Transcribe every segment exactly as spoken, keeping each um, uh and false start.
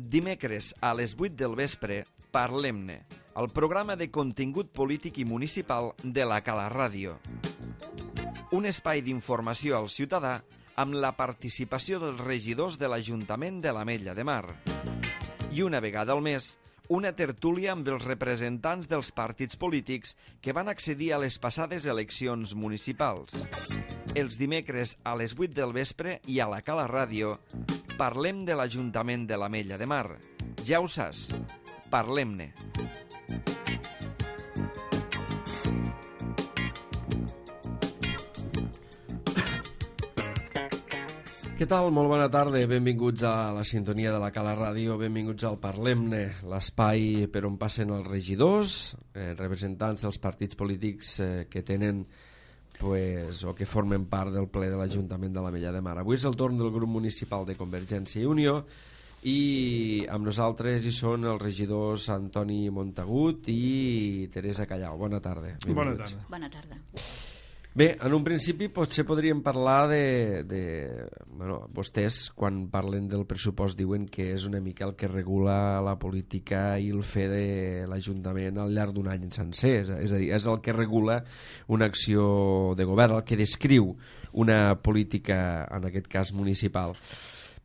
Dimecres a les vuit del vespre, Parlem-ne, el programa de contingut polític i municipal de la Cala Ràdio. Un espai d'informació al ciutadà amb la participació dels regidors de l'Ajuntament de l'Ametlla de Mar. I una vegada al mes, una tertúlia amb els representants dels partits polítics que van accedir a les passades eleccions municipals. Els dimecres a les vuit del vespre i a la Cala Ràdio parlem de l'Ajuntament de l'Ametlla de Mar. Ja ho saps, parlem-ne. Què tal? Molt bona tarda, benvinguts a la sintonia de la Cala Ràdio, benvinguts al Parlem-ne, l'espai per on passen els regidors, eh, representants dels partits polítics eh, que tenen pues, o que formen part del ple de l'Ajuntament de l'Ametlla de Mar. Avui és el torn del grup municipal de Convergència i Unió i amb nosaltres hi són els regidors Antoni Montagut i Teresa Callau. Bona tarda. Bona tarda. Bona tarda. Bé, en un principi potser podríem parlar de... de bueno, vostès, quan parlen del pressupost, diuen que és una mica el que regula la política i el fer de l'Ajuntament al llarg d'un any sencer. És a dir, és el que regula una acció de govern, el que descriu una política, en aquest cas municipal.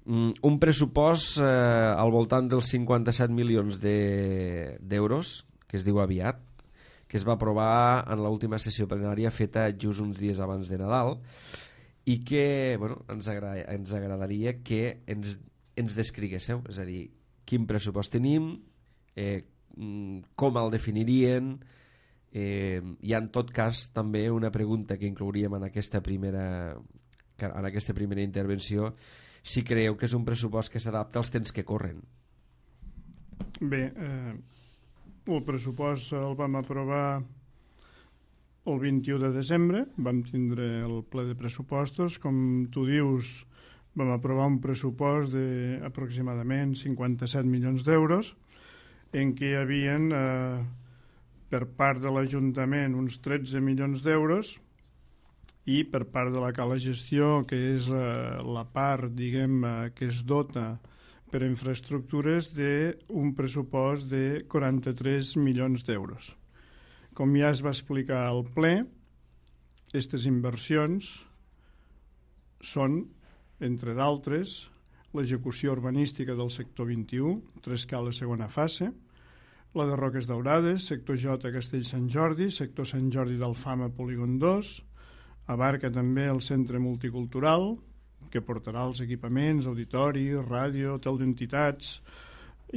Un pressupost eh, al voltant dels cinquanta-set milions d'euros, de, que es diu aviat, que es va aprovar en l'última sessió plenària feta just uns dies abans de Nadal i que bueno, ens, agrada, ens agradaria que ens, ens descriguéssiu, és a dir, quin pressupost tenim, eh, com el definirien, eh, i en tot cas també una pregunta que inclouríem en aquesta primera, en aquesta primera intervenció, si creieu que és un pressupost que s'adapta als temps que corren. Bé, eh... el pressupost el vam aprovar el vint-i-u de desembre, vam tindre el ple de pressupostos. Com tu dius, vam aprovar un pressupost d'aproximadament cinquanta-set milions d'euros, en què hi havia eh, per part de l'Ajuntament uns tretze milions d'euros i per part de la Cala Gestió, que és eh, la part, diguem, eh, que es dota per a infraestructures d'un pressupost de quaranta-tres milions d'euros. Com ja es va explicar al ple, aquestes inversions són, entre d'altres, l'execució urbanística del sector vint-i-u, Trescala segona fase, la de Roques Daurades, sector J Castell Sant Jordi, sector Sant Jordi d'Alfama Polígon dos, abarca també el centre multicultural, que portarà els equipaments, auditori, ràdio, hotel d'entitats,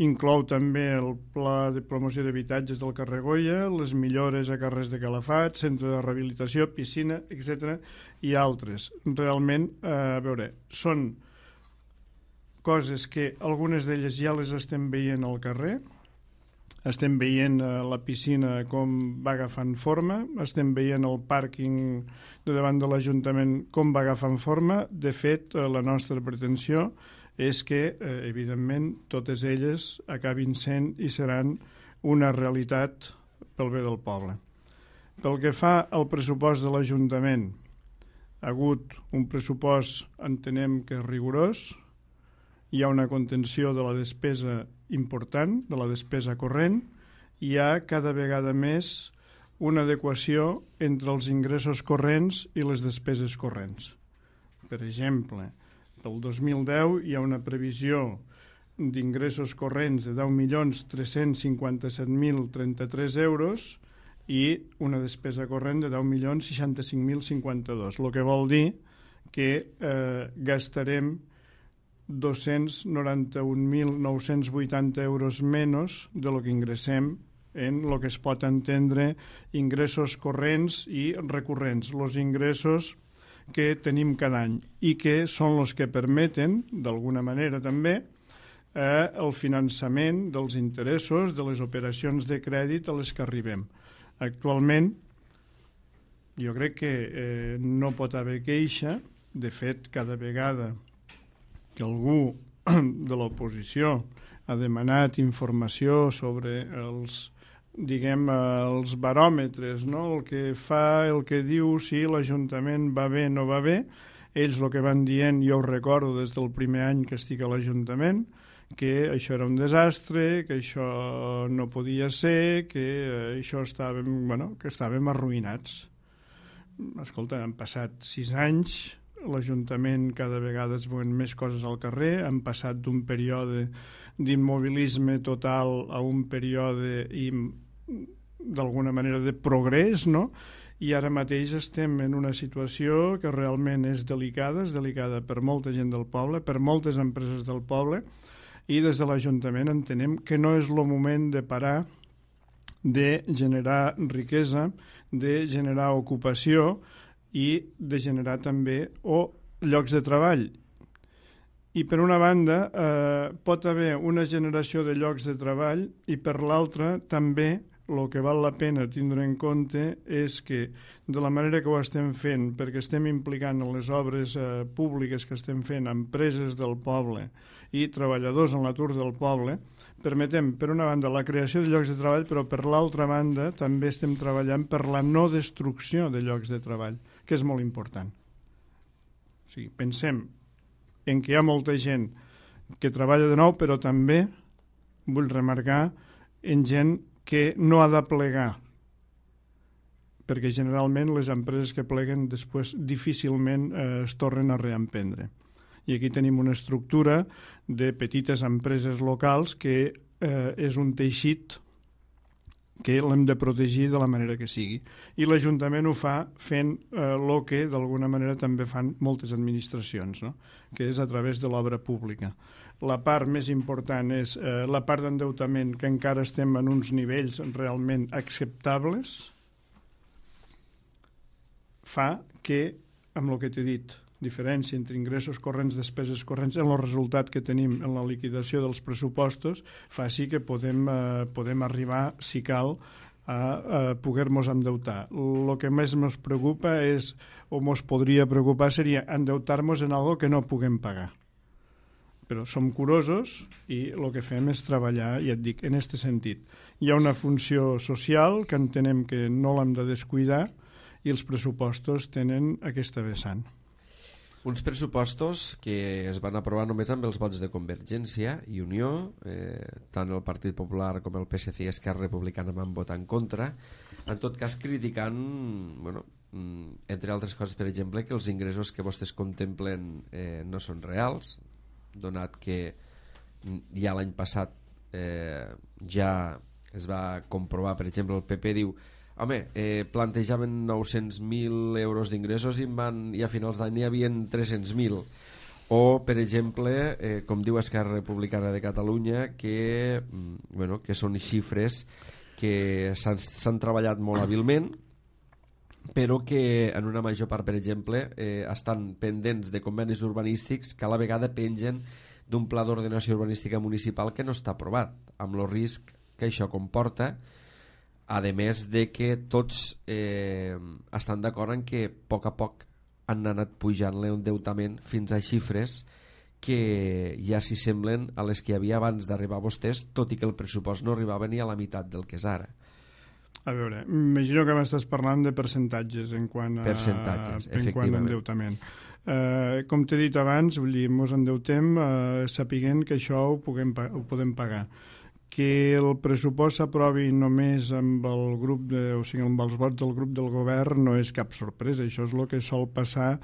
inclou també el pla de promoció d'habitatges del carrer Goya, les millores a carrers de Calafat, centre de rehabilitació, piscina, etcètera, i altres. Realment, eh, a veure, són coses que algunes d'elles ja les estem veient al carrer, estem veient eh, la piscina com va agafant forma, estem veient el pàrquing de davant de l'Ajuntament com va agafant forma. De fet, eh, la nostra pretensió és que, eh, evidentment, totes elles acabin sent i seran una realitat pel bé del poble. Pel que fa al pressupost de l'Ajuntament, ha hagut un pressupost, entenem que rigorós, hi ha una contenció de la despesa important, de la despesa corrent, hi ha cada vegada més una adequació entre els ingressos corrents i les despeses corrents. Per exemple, pel dos mil deu hi ha una previsió d'ingressos corrents de deu milions tres-cents cinquanta-set mil trenta-tres euros i una despesa corrent de deu milions seixanta-cinc mil cinquanta-dos, el que vol dir que eh, gastarem dos-cents noranta-un mil nou-cents vuitanta euros menys de lo que ingressem en el que es pot entendre ingressos corrents i recurrents, els ingressos que tenim cada any i que són els que permeten, d'alguna manera també, eh, el finançament dels interessos de les operacions de crèdit a les que arribem. Actualment, jo crec que eh, no pot haver queixa, de fet, cada vegada que algú de l'oposició ha demanat informació sobre els, diguem, els baròmetres, no? El que fa, el que diu si l'Ajuntament va bé o no va bé, ells el que van dient, jo ho recordo des del primer any que estic a l'Ajuntament, que això era un desastre, que això no podia ser, que això estàvem, bueno, que estàvem arruïnats. Escolta, han passat sis anys, l'Ajuntament cada vegada es veuen més coses al carrer, han passat d'un període d'immobilisme total a un període d'alguna manera de progrés, no? I ara mateix estem en una situació que realment és delicada, és delicada per molta gent del poble, per moltes empreses del poble, i des de l'Ajuntament entenem que no és el moment de parar de generar riquesa, de generar ocupació i de generar també o llocs de treball. I per una banda eh, pot haver una generació de llocs de treball i per l'altra també el que val la pena tindre en compte és que de la manera que ho estem fent, perquè estem implicant en les obres eh, públiques que estem fent empreses del poble i treballadors en l'atur del poble, permetem, per una banda, la creació de llocs de treball, però per l'altra banda també estem treballant per la no destrucció de llocs de treball, que és molt important. O sigui, pensem en què hi ha molta gent que treballa de nou, però també vull remarcar en gent que no ha de plegar, perquè generalment les empreses que pleguen després difícilment eh, es tornen a reemprendre. I aquí tenim una estructura de petites empreses locals que eh, és un teixit que l'hem de protegir de la manera que sigui. I l'Ajuntament ho fa fent el eh, que d'alguna manera també fan moltes administracions, no? Que és a través de l'obra pública. La part més important és eh, la part d'endeutament, que encara estem en uns nivells realment acceptables, fa que, amb el que t'he dit, diferència entre ingressos corrents, despeses corrents, en el resultat que tenim en la liquidació dels pressupostos, faci que podem, eh, podem arribar, si cal, a, a poder-nos endeutar. El que més ens preocupa és, o ens podria preocupar, seria endeutar-nos en algo que no puguem pagar. Però som curosos i el que fem és treballar, i et dic, en aquest sentit. Hi ha una funció social que entenem que no l'hem de descuidar i els pressupostos tenen aquesta vessant. Uns pressupostos que es van aprovar només amb els vots de Convergència i Unió, eh, tant el Partit Popular com el P S C i Esquerra Republicana van votar en contra, en tot cas criticant, bueno, entre altres coses, per exemple, que els ingressos que vostès contemplen eh, no són reals, donat que ja l'any passat eh, ja es va comprovar, per exemple, el P P diu home, eh, plantejaven nou-cents mil euros d'ingressos i, van, i a finals d'any hi havia tres-cents mil. O, per exemple, eh, com diu Esquerra Republicana de Catalunya, que, bueno, que són xifres que s'han treballat molt hàbilment, però que en una major part, per exemple, eh, estan pendents de convenis urbanístics que a la vegada pengen d'un pla d'ordenació urbanística municipal que no està aprovat, amb el risc que això comporta, a més de que tots eh, estan d'acord en que a poc a poc han anat pujant l'endeutament fins a xifres que ja s'hi semblen a les que hi havia abans d'arribar a vostès, tot i que el pressupost no arribava ni a la meitat del que és ara. A veure, imagino que m'estàs parlant de percentatges en quant a, percentatges, en quant a endeutament. Eh, com t'he dit abans, vull dir, ens endeutem eh, sapiguent que això ho, puguem, ho podem pagar. Que el pressupost s'aprovi només amb el grup de, o sigui, amb els vots del grup del govern no és cap sorpresa. Això és el que sol passar,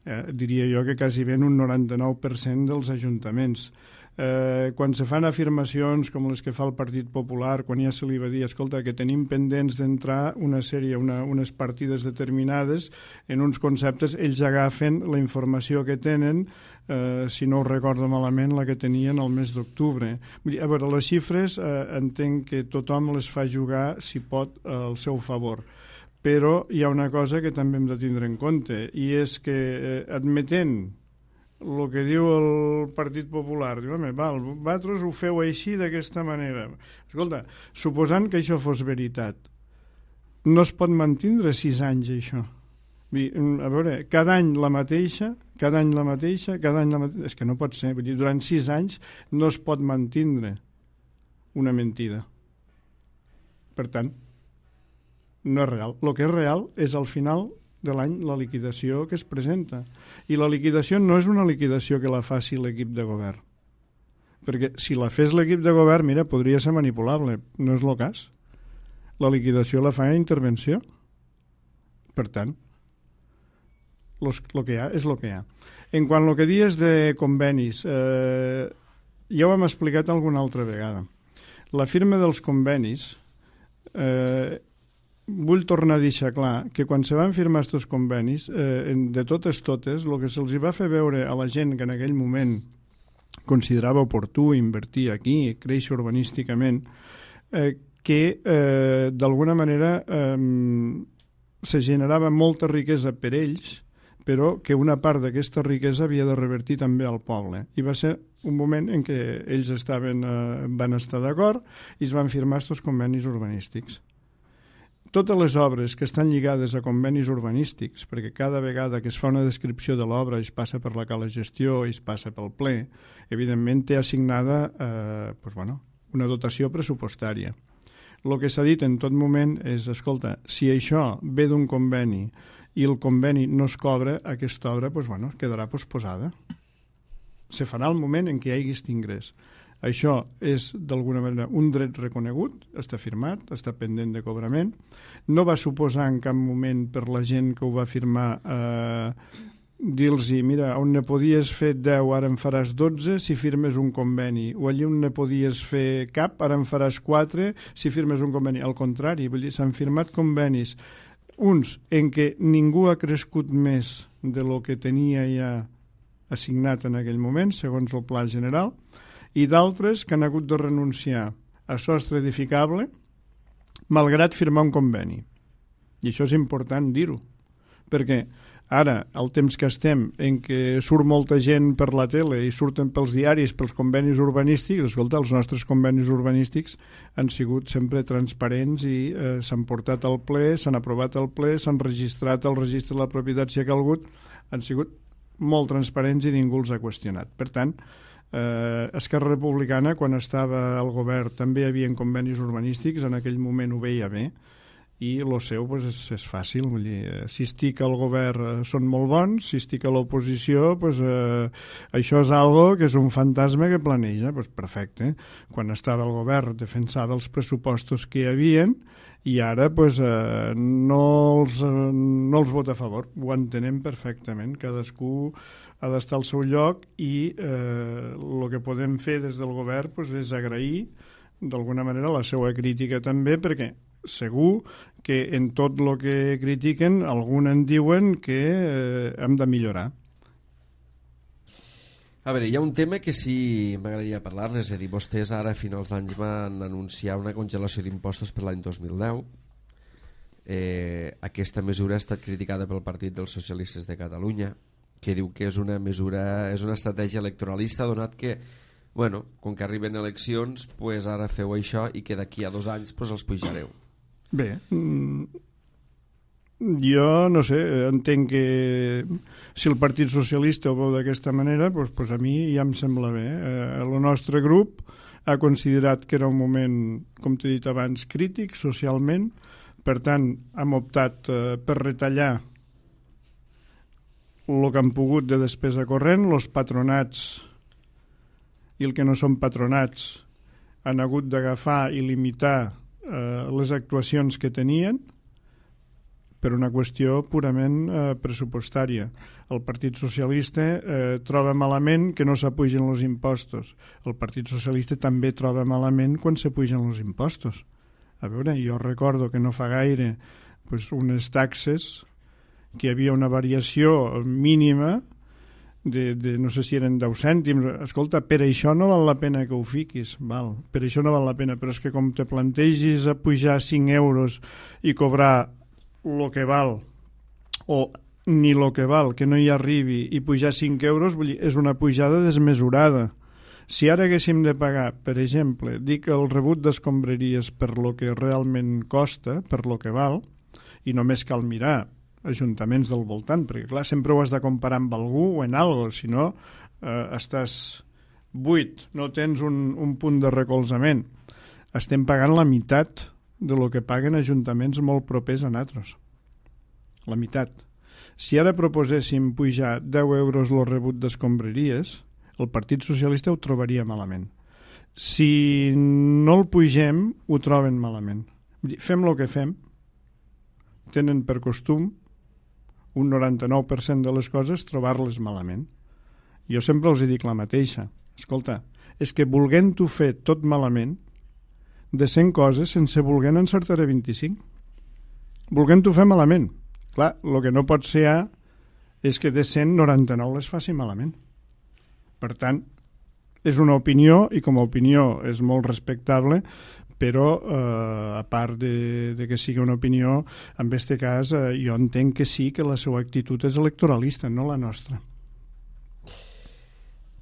eh, diria jo, que quasi ben un noranta-nou per cent dels ajuntaments. Eh, quan se fan afirmacions com les que fa el Partit Popular, quan ja se li va dir, escolta, que tenim pendents d'entrar una sèrie, una, unes partides determinades en uns conceptes, ells agafen la informació que tenen, eh, si no ho recordo malament, la que tenien el mes d'octubre. A veure, les xifres eh, entenc que tothom les fa jugar, si pot, al seu favor. Però hi ha una cosa que també hem de tindre en compte, i és que eh, admetent el que diu el Partit Popular, diu, home, val, vosaltres ho feu així d'aquesta manera. Escolta, suposant que això fos veritat, no es pot mantindre sis anys això. A veure, cada any la mateixa, cada any la mateixa, cada any la mateixa, és que no pot ser, vull dir, durant sis anys no es pot mantindre una mentida. Per tant, no és real. El que és real és al final de l'any la liquidació que es presenta. I la liquidació no és una liquidació que la faci l'equip de govern. perquè si la fes l'equip de govern, mira, podria ser manipulable, no és el cas. La liquidació la fa a intervenció. Per tant, el que hi ha és el que hi ha. En quant al que dies de convenis, eh, ja ho hem explicat alguna altra vegada. La firma dels convenis, eh, vull tornar a deixar clar que quan se van firmar aquests convenis, eh, de totes totes, el que se'ls va fer veure a la gent que en aquell moment considerava oportú invertir aquí, créixer urbanísticament, eh, que eh, d'alguna manera eh, se generava molta riquesa per ells, però que una part d'aquesta riquesa havia de revertir també al poble. I va ser un moment en què ells estaven, eh, van estar d'acord i es van firmar aquests convenis urbanístics. Totes les obres que estan lligades a convenis urbanístics, perquè cada vegada que es fa una descripció de l'obra es passa per la cala gestió i es passa pel ple, evidentment té assignada eh, doncs, bueno, una dotació pressupostària. El que s'ha dit en tot moment és, escolta, si això ve d'un conveni i el conveni no es cobra, aquesta obra doncs, bueno, quedarà posposada. Se farà el moment en què hi hagi aquest ingrés. Això és, d'alguna manera, un dret reconegut, està firmat, està pendent de cobrament. No va suposar en cap moment per la gent que ho va firmar eh, dir-los, mira, on ne podies fer deu, ara en faràs dotze si firmes un conveni, o allí on ne podies fer cap, ara en faràs quatre si firmes un conveni. Al contrari, vull dir, s'han firmat convenis, uns en què ningú ha crescut més de lo que tenia ja assignat en aquell moment, segons el pla general, i d'altres que han hagut de renunciar a sostre edificable malgrat firmar un conveni. I això és important dir-ho, perquè ara, el temps que estem en què surt molta gent per la tele i surten pels diaris, pels convenis urbanístics, escolta, els nostres convenis urbanístics han sigut sempre transparents i eh, s'han portat al ple, s'han aprovat al ple, s'han registrat al registre de la propietat si ha calgut, han sigut molt transparents i ningú els ha qüestionat. Per tant, Eh, Esquerra Republicana, quan estava al govern, també hi havia convenis urbanístics, en aquell moment ho veia bé, i el seu pues, és, és fàcil. Vull dir, si estic al govern eh, són molt bons, si estic a l'oposició, pues, eh, això és algo que és un fantasma que planeja. Pues, perfecte. Quan estava al govern defensava els pressupostos que hi havien i ara pues, eh, no, els, eh, no els vota a favor. Ho entenem perfectament. Cadascú ha d'estar al seu lloc i eh, el que podem fer des del govern pues, és agrair d'alguna manera la seva crítica també, perquè segur que en tot el que critiquen algun en diuen que eh, hem de millorar. A veure, hi ha un tema que sí m'agradaria parlar-ne, és a dir, vostès ara a finals d'any van anunciar una congelació d'impostos per l'any dos mil deu. Eh, aquesta mesura ha estat criticada pel Partit dels Socialistes de Catalunya, que diu que és una mesura, és una estratègia electoralista, donat que, bueno, com que arriben eleccions, pues ara feu això i que d'aquí a dos anys pues, els pujareu. Bé, jo no sé, entenc que si el Partit Socialista ho veu d'aquesta manera, doncs, doncs a mi ja em sembla bé. Eh, el nostre grup ha considerat que era un moment, com t'he dit abans, crític socialment, per tant hem optat eh, per retallar el que han pogut de despesa corrent. Els patronats i el que no són patronats han hagut d'agafar i limitar eh, les actuacions que tenien per una qüestió purament eh, pressupostària. El Partit Socialista eh, troba malament que no s'apugen els impostos. El Partit Socialista també troba malament quan s'apugen els impostos. A veure, jo recordo que no fa gaire pues, unes taxes que hi havia una variació mínima de, de no sé si eren deu cèntims. Escolta, per això no val la pena que ho fiquis, val? Per això no val la pena, però és que com te plantegis a pujar cinc euros i cobrar el que val, o ni el que val, que no hi arribi, i pujar cinc euros, vull dir, és una pujada desmesurada. Si ara haguéssim de pagar, per exemple, dic el rebut d'escombraries per lo que realment costa, per lo que val, i només cal mirar ajuntaments del voltant, perquè clar, sempre ho has de comparar amb algú o en algo, si no eh, estàs buit, no tens un, un punt de recolzament. Estem pagant la meitat de lo que paguen ajuntaments molt propers a nosaltres. La meitat. Si ara proposéssim pujar deu euros el rebut d'escombraries, el Partit Socialista ho trobaria malament. Si no el pugem, ho troben malament. Vull dir, fem el que fem, tenen per costum un noranta-nou per cent de les coses trobar-les malament. Jo sempre els dic la mateixa. Escolta, és que volent-ho fer tot malament, de cent coses, sense volent encertaré vint-i-cinc. Volent-ho fer malament. Clar, el que no pot ser A és que de cent noranta-nou les faci malament. Per tant, és una opinió i com a opinió és molt respectable, però eh, a part de, de que sigui una opinió, en aquest cas eh, jo entenc que sí que la seva actitud és electoralista, no la nostra.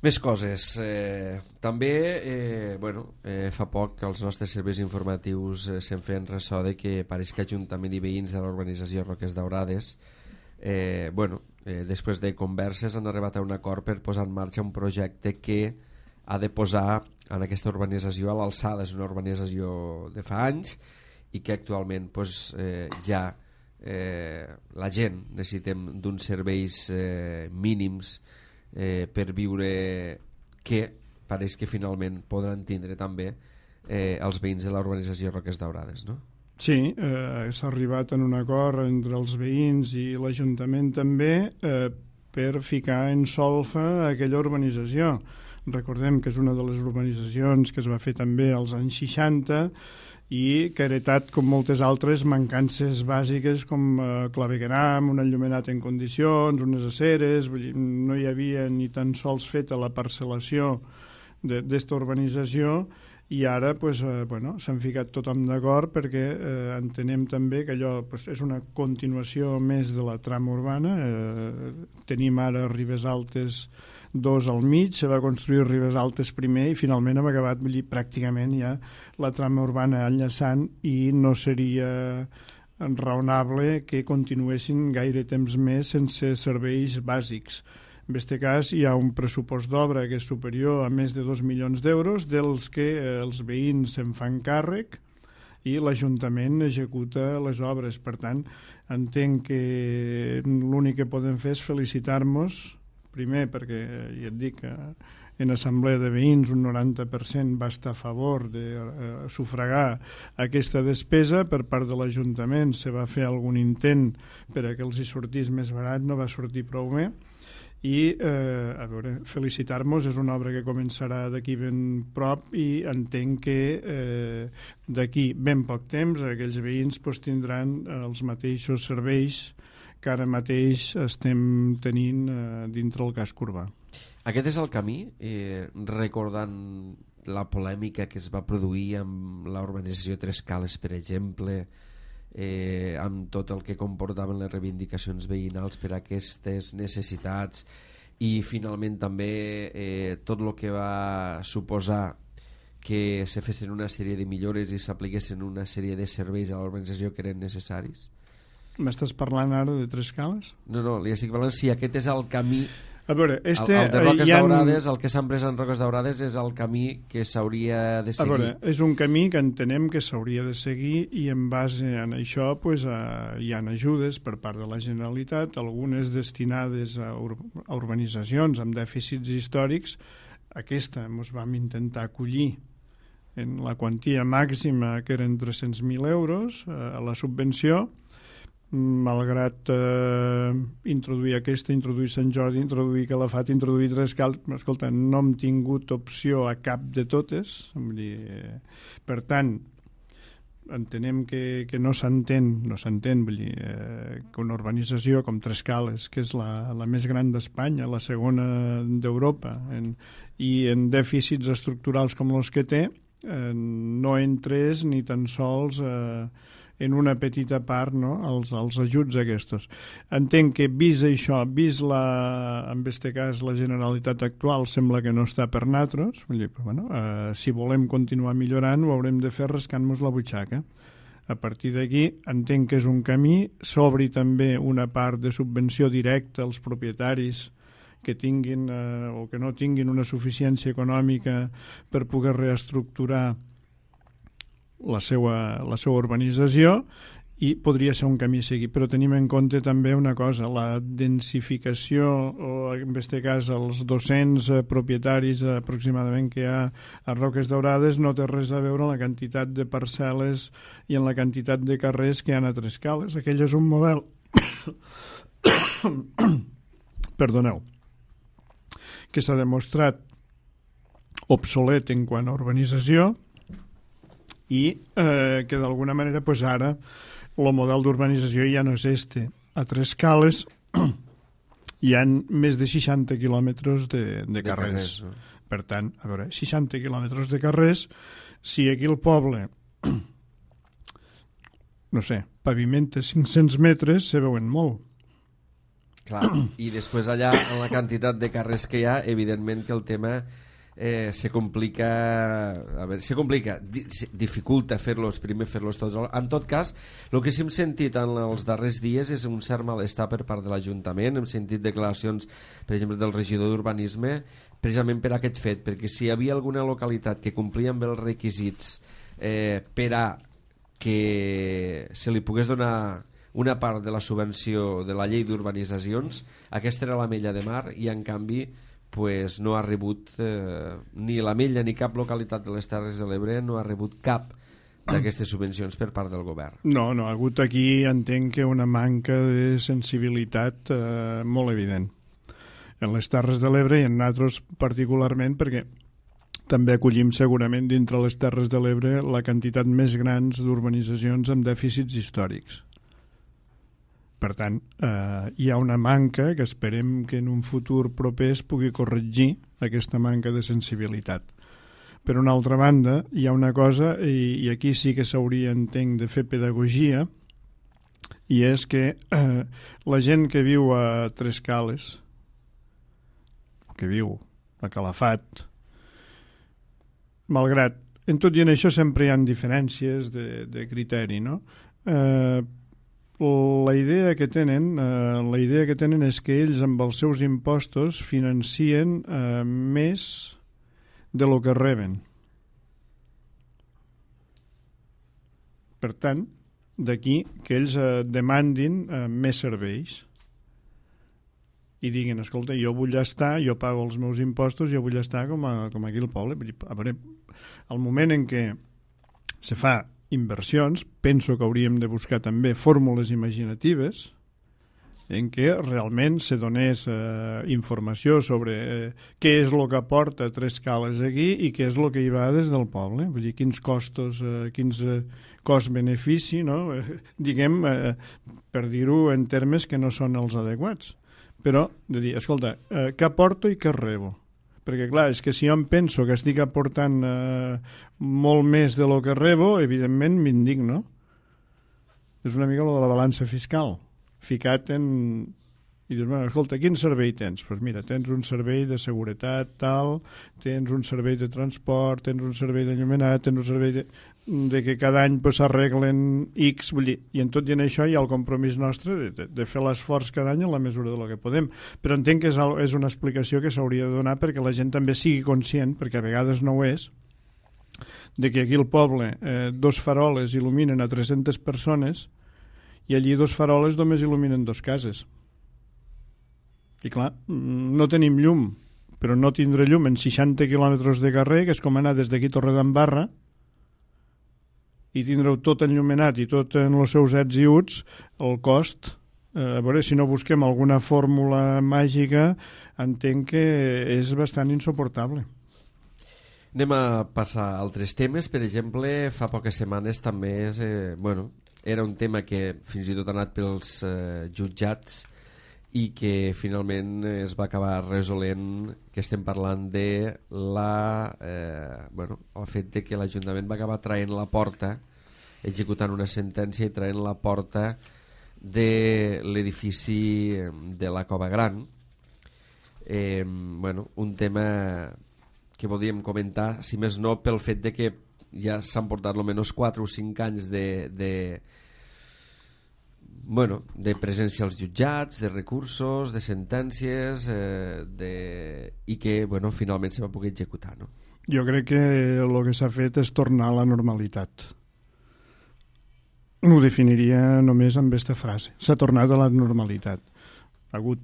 Més coses. Eh, també, eh, bueno, eh, fa poc que els nostres serveis informatius eh, se'n feien ressò de que pareix que Ajuntament i veïns de l'urbanització Roques Daurades, eh, bueno, eh, després de converses han arribat a un acord per posar en marxa un projecte que ha de posar en aquesta urbanització a l'alçada. És una urbanització de fa anys i que actualment pues, eh, ja eh, la gent necessitem d'uns serveis eh, mínims eh, per viure, que pareix que finalment podran tindre també eh, els veïns de la urbanització Roques Daurades, no? Sí, eh, s'ha arribat en un acord entre els veïns i l'Ajuntament també eh, per ficar en solfa aquella urbanització. Recordem que és una de les urbanitzacions que es va fer també als anys seixanta i que ha heretat, com moltes altres, mancances bàsiques com eh, clavegueram, un enllumenat en condicions, unes aceres. Vull dir, no hi havia ni tan sols feta la parcel·lació d'esta urbanització i ara pues, eh, bueno, s'han ficat tothom d'acord perquè eh, entenem també que allò pues, és una continuació més de la trama urbana. Eh, tenim ara Ribes Altes dos al mig, se va construir Ribes Altes primer i finalment hem acabat vull dir, pràcticament ja la trama urbana enllaçant i no seria raonable que continuessin gaire temps més sense serveis bàsics. En aquest cas hi ha un pressupost d'obra que és superior a més de dos milions d'euros, dels que eh, els veïns se'n fan càrrec i l'Ajuntament executa les obres. Per tant, entenc que l'únic que podem fer és felicitar-nos, primer perquè, ja et dic, en assemblea de veïns un noranta per cent va estar a favor de eh, sufragar aquesta despesa. Per part de l'Ajuntament se va fer algun intent per a que els hi sortís més barat, no va sortir prou bé. I, eh, a veure, felicitar-nos, és una obra que començarà d'aquí ben prop i entenc que eh, d'aquí ben poc temps aquells veïns pues, tindran els mateixos serveis que ara mateix estem tenint eh, dintre el casc urbà. Aquest és el camí, eh, recordant la polèmica que es va produir amb la urbanització Tres Cales, per exemple, eh, amb tot el que comportaven les reivindicacions veïnals per a aquestes necessitats i finalment també eh, tot el que va suposar que se fessin una sèrie de millores i s'apliquessin una sèrie de serveis a l'urbanització que eren necessaris. M'estàs parlant ara de Tres Cales? No, no, li estic parlant si aquest és el camí. A veure, este, el, el de Roques ha... Daurades, el que s'ha emprès en Roques Daurades és el camí que s'hauria de seguir. A veure, és un camí que entenem que s'hauria de seguir i en base en això pues, a, hi ha ajudes per part de la Generalitat, algunes destinades a, ur a urbanitzacions amb dèficits històrics. Aquesta ens vam intentar acollir en la quantia màxima, que eren tres-cents mil euros, a la subvenció, malgrat eh, introduir aquesta, introduir Sant Jordi, introduir Calafat, introduir Tres Cales. Escolta, no hem tingut opció a cap de totes. Vull dir, eh, per tant, entenem que, que no s'entén, no s'entén, vull dir, eh, que una urbanització com Tres Cales, que és la, la més gran d'Espanya, la segona d'Europa, i en dèficits estructurals com els que té, eh, no entrés ni tan sols eh, en una petita part, no?, els, els ajuts aquests. Entenc que vist això, vist la, en aquest cas la Generalitat actual, sembla que no està per natros. Vull dir, però, bueno, eh, si volem continuar millorant ho haurem de fer rascant-nos la butxaca. A partir d'aquí entenc que és un camí, s'obri també una part de subvenció directa als propietaris que tinguin eh, o que no tinguin una suficiència econòmica per poder reestructurar la seva, la seva urbanització i podria ser un camí a seguir, però tenim en compte també una cosa, la densificació, o en aquest cas els dos-cents eh, propietaris aproximadament que hi ha a Roques Daurades, no té res a veure amb la quantitat de parcel·les i en la quantitat de carrers que hi ha a Trescales. Aquell és un model perdoneu que s'ha demostrat obsolet en quant a urbanització i eh, que d'alguna manera pues, ara el model d'urbanització ja no és este. A Trescales hi ha més de seixanta quilòmetres de, de carrers. De carrers no? Per tant, a veure, seixanta quilòmetres de carrers, si aquí el poble no sé, pavimenta cinc-cents metres, se veuen molt. Clar, i després allà, en la quantitat de carrers que hi ha, evidentment que el tema eh, se complica, a veure, se complica, di, se dificulta fer-los, primer fer-los tots. En tot cas, el que sí hem sentit en els darrers dies és un cert malestar per part de l'Ajuntament, hem sentit declaracions, per exemple, del regidor d'Urbanisme, precisament per aquest fet, perquè si hi havia alguna localitat que complia amb els requisits eh, per a que se li pogués donar una part de la subvenció de la llei d'urbanitzacions, aquesta era l'Ametlla de Mar i en canvi pues, no ha rebut eh, ni l'Ametlla ni cap localitat de les Terres de l'Ebre no ha rebut cap d'aquestes subvencions per part del govern. No, no, ha hagut aquí, entenc que una manca de sensibilitat eh, molt evident en les Terres de l'Ebre i en nosaltres particularment, perquè també acollim segurament dintre les Terres de l'Ebre la quantitat més grans d'urbanitzacions amb dèficits històrics. Per tant, eh, hi ha una manca que esperem que en un futur proper es pugui corregir aquesta manca de sensibilitat. Per una altra banda, hi ha una cosa, i, i aquí sí que s'hauria, entenc, de fer pedagogia, i és que eh, la gent que viu a Trescales, que viu a Calafat, malgrat, en tot i en això sempre hi ha diferències de, de criteri, no? Eh, la idea que tenen eh, la idea que tenen és que ells amb els seus impostos financien eh, més de lo que reben. Per tant, d'aquí que ells eh, demandin eh, més serveis i diguin, escolta, jo vull estar, jo pago els meus impostos, jo vull estar com, a, com aquí al poble. A veure, al moment en què se fa inversions, penso que hauríem de buscar també fórmules imaginatives en què realment se donés eh, informació sobre eh, què és el que aporta Trescales aquí i què és el que hi va des del poble. Vull dir, quins costos, eh, quins eh, cost-benefici, no? Eh, diguem, eh, per dir-ho en termes que no són els adequats. Però, de dir, escolta, eh, què aporto i què rebo? Perquè, clar, és que si jo em penso que estic aportant eh, molt més de lo que rebo, evidentment m'indigno. És una mica lo de la balança fiscal. Ficat en... I dius, bueno, escolta, quin servei tens? Doncs pues mira, tens un servei de seguretat, tal, tens un servei de transport, tens un servei d'enllumenat, tens un servei de, de que cada any s'arreglen pues, X, vull dir, i en tot i en això hi ha el compromís nostre de, de, de fer l'esforç cada any en la mesura de lo que podem. Però entenc que és, és una explicació que s'hauria de donar perquè la gent també sigui conscient, perquè a vegades no ho és, de que aquí al poble eh, dos faroles il·luminen a tres-centes persones i allí dos faroles només il·luminen dos cases. I clar, no tenim llum, però no tindre llum en seixanta quilòmetres de carrer, que és com anar des d'aquí a Torredembarra, i tindre-ho tot enllumenat i tot en els seus ets i uts, el cost, eh, a veure si no busquem alguna fórmula màgica, entenc que és bastant insuportable. Anem a passar a altres temes. Per exemple, fa poques setmanes també és, eh, bueno, era un tema que fins i tot ha anat pels eh, jutjats i que finalment es va acabar resolent, que estem parlant de la, eh, bueno, el fet de que l'Ajuntament va acabar traient la porta, executant una sentència i traient la porta de l'edifici de la Cova Gran. Eh, bueno, un tema que podríem comentar, si més no pel fet de que ja s'han portat almenys quatre o cinc anys de... de bueno, de presència als jutjats, de recursos, de sentències eh, de... i que bueno, finalment se va poder executar, no? Jo crec que el que s'ha fet és tornar a la normalitat. ho definiria només amb aquesta frase. S'ha tornat a la normalitat. Ha hagut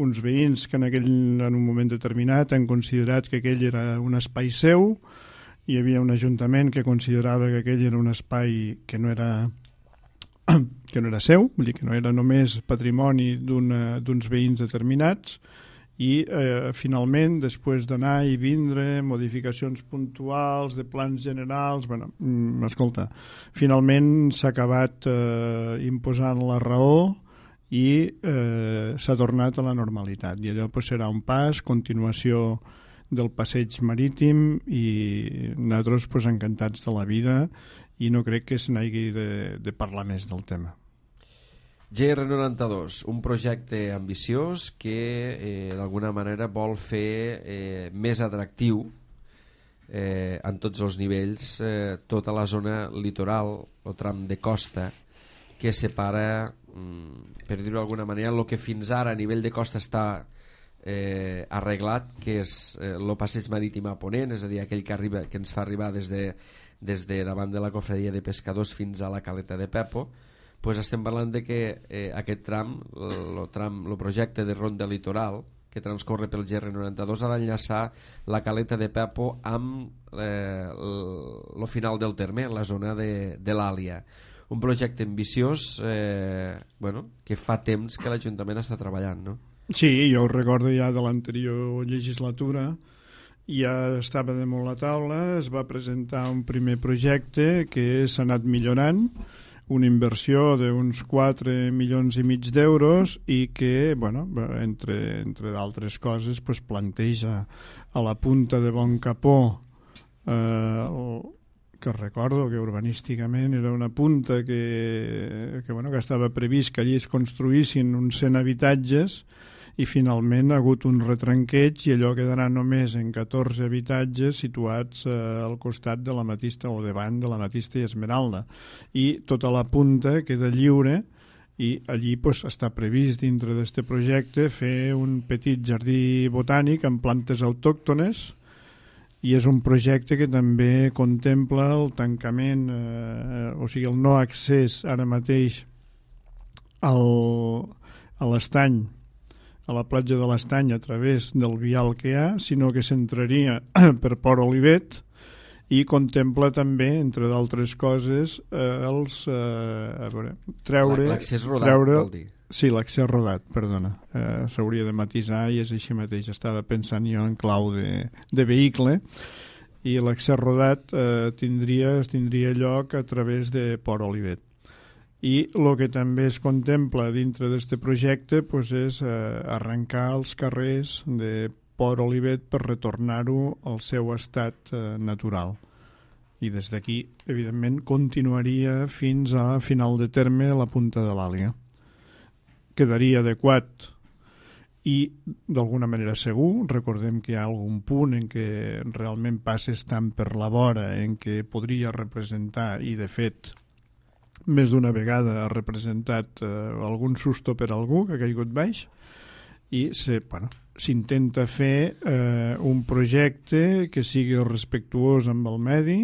uns veïns que en, aquell, en un moment determinat han considerat que aquell era un espai seu, hi havia un ajuntament que considerava que aquell era un espai que no era que no era seu, vull dir que no era només patrimoni d'uns veïns determinats, i eh, finalment, després d'anar i vindre, modificacions puntuals de plans generals, bueno, mm, escolta, finalment s'ha acabat eh, imposant la raó i eh, s'ha tornat a la normalitat, i allò pues, serà un pas, continuació del passeig marítim, i nosaltres pues, encantats de la vida, i no crec que se n'hagi de, de parlar més del tema. G R noranta-dos, un projecte ambiciós que eh, d'alguna manera vol fer eh, més atractiu eh, en tots els nivells eh, tota la zona litoral, el tram de costa que separa, mm, per dir-ho d'alguna manera, el que fins ara a nivell de costa està eh, arreglat, que és eh, el passeig marítim a Ponent, és a dir, aquell que, arriba, que ens fa arribar des de, des de davant de la cofradia de pescadors fins a la caleta de Pepo. Pues estem parlant de que eh, aquest tram, el tram, el projecte de ronda litoral que transcorre pel G R noranta-dos ha d'enllaçar la caleta de Pepo amb eh, el final del terme, la zona de, de l'Àlia. Un projecte ambiciós eh, bueno, que fa temps que l'Ajuntament està treballant, no? Sí, jo ho recordo ja de l'anterior legislatura, ja estava damunt la taula, es va presentar un primer projecte que s'ha anat millorant, una inversió d'uns quatre milions i mig d'euros i que, bueno, entre, entre d'altres coses, pues, planteja a la punta de Bon Capó, eh, que recordo que urbanísticament era una punta que, que, bueno, que estava previst que allí es construïssin uns cent habitatges, i finalment ha hagut un retranqueig i allò quedarà només en catorze habitatges situats eh, al costat de l'Ametista o davant de l'Ametista i Esmeralda, i tota la punta queda lliure, i allí pues, està previst dintre d'aquest projecte fer un petit jardí botànic amb plantes autòctones, i és un projecte que també contempla el tancament, eh, o sigui el no accés ara mateix al, a l'estany, a la platja de l'Estany a través del vial que hi ha, sinó que s'entraria per Port Olivet, i contempla també, entre d'altres coses, eh, els eh, a veure, treure... L'accés rodat, treure, vol dir. Sí, l'accés rodat, perdona. Eh, s'hauria de matisar i és així mateix. Estava pensant jo en clau de, de vehicle, i l'accés rodat eh, tindria, tindria lloc a través de Port Olivet. I el que també es contempla dintre d'aquest projecte pues, és eh, arrencar els carrers de Port Olivet per retornar-ho al seu estat eh, natural. I des d'aquí, evidentment, continuaria fins a final de terme a la punta de l'Àlia. Quedaria adequat i d'alguna manera segur. Recordem que hi ha algun punt en què realment passes tant per la vora en què podria representar, i de fet més d'una vegada ha representat eh, algun susto per algú que ha caigut baix, i se, bueno, s'intenta fer eh, un projecte que sigui respectuós amb el medi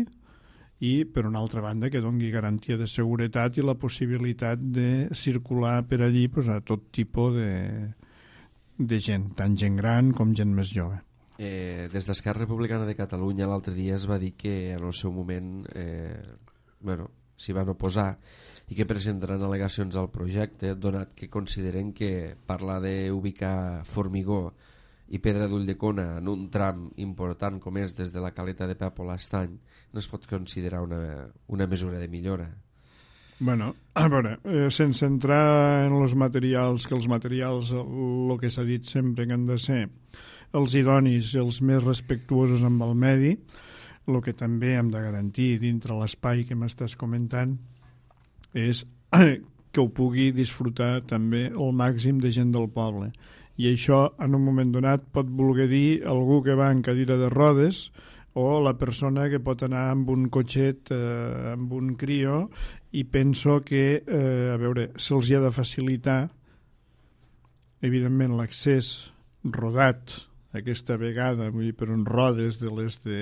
i, per una altra banda, que doni garantia de seguretat i la possibilitat de circular per allí pues, a tot tipus de, de gent, tant gent gran com gent més jove. Eh, des d'Esquerra Republicana de Catalunya l'altre dia es va dir que en el seu moment eh, bueno, s'hi van oposar i que presentaran al·legacions al projecte, donat que consideren que parlar d'ubicar formigó i pedra d'Ulldecona en un tram important com és des de la caleta de Pepo a l'Estany no es pot considerar una, una mesura de millora. Bueno, a veure, eh, sense entrar en els materials, que els materials, el que s'ha dit sempre que han de ser els idonis i els més respectuosos amb el medi, el que també hem de garantir dintre l'espai que m'estàs comentant és que ho pugui disfrutar també el màxim de gent del poble. I això, en un moment donat, pot voler dir algú que va en cadira de rodes o la persona que pot anar amb un cotxet, eh, amb un crio, i penso que, eh, a veure, se'ls ha de facilitar, evidentment, l'accés rodat, aquesta vegada, vull dir, per uns rodes de les de,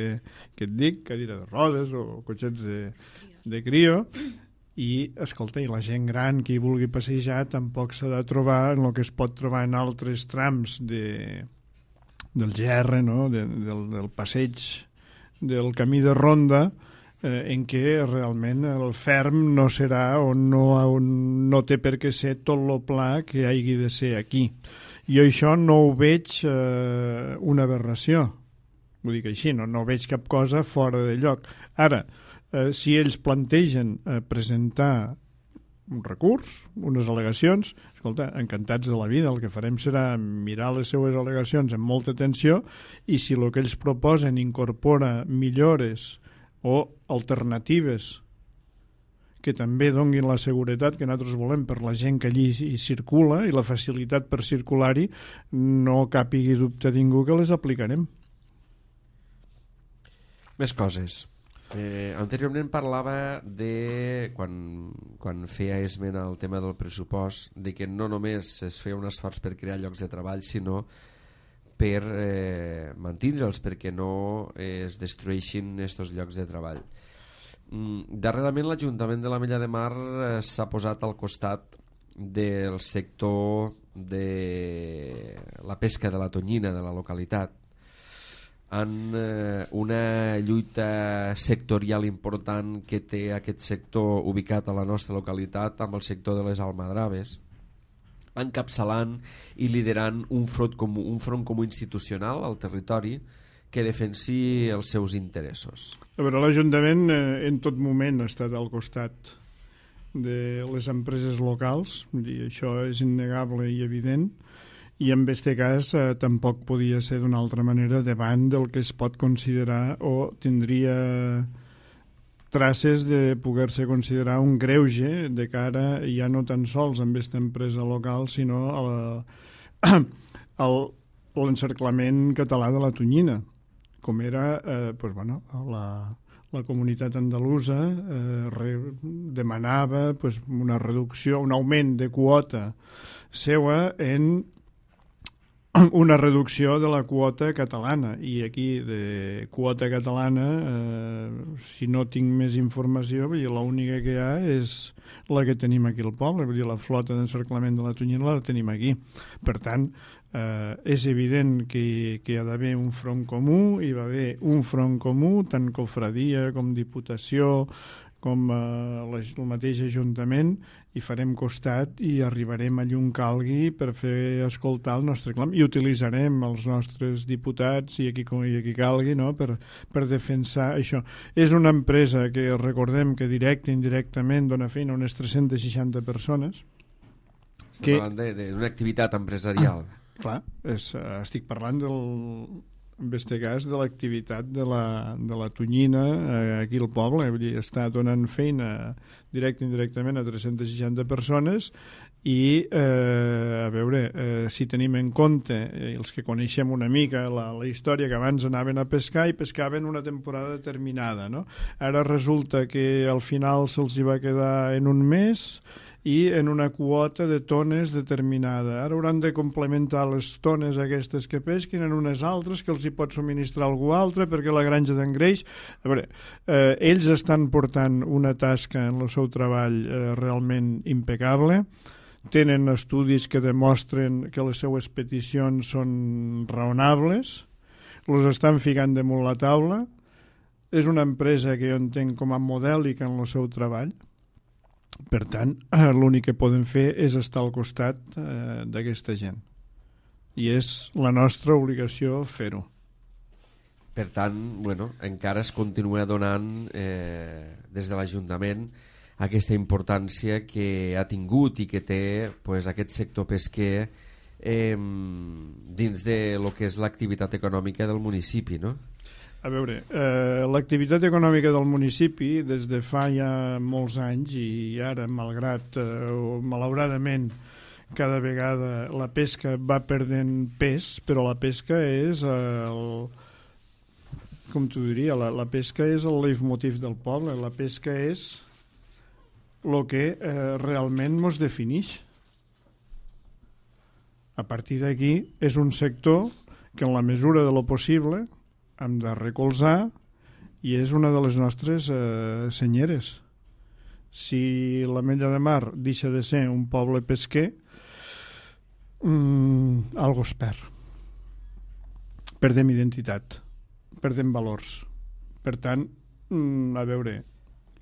que et dic, cadira de rodes o cotxets de, de crio, i, escolta, i la gent gran que hi vulgui passejar tampoc s'ha de trobar en el que es pot trobar en altres trams de, del G R, no? de, del, del passeig del camí de ronda, eh, en què realment el ferm no serà o no, no té per què ser tot lo pla que hagi de ser aquí. Jo això no ho veig eh, una aberració, ho dic així, no, no veig cap cosa fora de lloc. Ara, eh, si ells plantegen eh, presentar un recurs, unes al·legacions, escolta, encantats de la vida, el que farem serà mirar les seues al·legacions amb molta atenció i si el que ells proposen incorpora millores o alternatives que també donguin la seguretat que nosaltres volem per la gent que allí hi circula i la facilitat per circular-hi, no capigui dubte a ningú que les aplicarem. Més coses. Eh, anteriorment parlava de, quan, quan feia esment al tema del pressupost, de que no només es feia un esforç per crear llocs de treball, sinó per eh, mantindre'ls, perquè no eh, es destrueixin aquests llocs de treball. Mm, darrerament l'Ajuntament de l'Ametlla de Mar eh, s'ha posat al costat del sector de la pesca de la tonyina de la localitat, en eh, una lluita sectorial important que té aquest sector ubicat a la nostra localitat amb el sector de les almadraves, encapçalant i liderant un front comú, un front comú institucional al territori que defensi els seus interessos. A veure, l'Ajuntament eh, en tot moment ha estat al costat de les empreses locals, vull dir, això és innegable i evident, i en aquest cas eh, tampoc podia ser d'una altra manera davant del que es pot considerar o tindria traces de poder-se considerar un greuge de cara ja no tan sols amb aquesta empresa local sinó a l'encerclament català de la tonyina, com era eh, pues, bueno, la, la comunitat andalusa eh, re, demanava pues, una reducció, un augment de quota seua en una reducció de la quota catalana, i aquí de quota catalana eh, si no tinc més informació, l'única que hi ha és la que tenim aquí al poble, vull dir, la flota d'encerclament de la tonyina la tenim aquí. Per tant, eh, és evident que, que hi ha d'haver un front comú, hi va haver un front comú, tant cofradia com diputació, com eh, el mateix Ajuntament, i farem costat i arribarem allà on calgui per fer escoltar el nostre clam i utilitzarem els nostres diputats i aquí, i aquí calgui, no? per, per defensar això. És una empresa que recordem que directe i indirectament dona feina a unes tres-centes seixanta persones. Estem que... parlant d'una activitat empresarial. Ah, clar, és, estic parlant del... en aquest cas de l'activitat de la, de la tonyina eh, aquí al poble, vull dir, està donant feina directe i indirectament a tres-centes seixanta persones i eh, a veure, eh, si tenim en compte eh, els que coneixem una mica la, la història, que abans anaven a pescar i pescaven una temporada determinada, no? Ara resulta que al final se'ls hi va quedar en un mes i en una quota de tones determinada. Ara hauran de complementar les tones aquestes que pesquin en unes altres que els hi pot subministrar algú altre perquè la granja d'engreix... A veure, eh, ells estan portant una tasca en el seu treball eh, realment impecable, tenen estudis que demostren que les seues peticions són raonables, els estan ficant damunt la taula, és una empresa que jo entenc com a modèlica en el seu treball. Per tant, l'únic que podem fer és estar al costat eh, d'aquesta gent. I és la nostra obligació fer-ho. Per tant, bueno, encara es continua donant eh, des de l'Ajuntament aquesta importància que ha tingut i que té pues, aquest sector pesquer eh, dins de lo que és l'activitat econòmica del municipi, no? A veure, eh, l'activitat econòmica del municipi des de fa ja molts anys i ara, malgrat eh, o malauradament, cada vegada la pesca va perdent pes, però la pesca és el, com t'ho diria, la, la pesca és el leitmotiv del poble, la pesca és el que eh, realment ens defineix. A partir d'aquí és un sector que en la mesura de lo possible hem de recolzar i és una de les nostres eh, senyeres. Si l'Ametlla de Mar deixa de ser un poble pesquer, mmm, algo es perd. Perdem identitat, perdem valors. Per tant, mmm, a veure,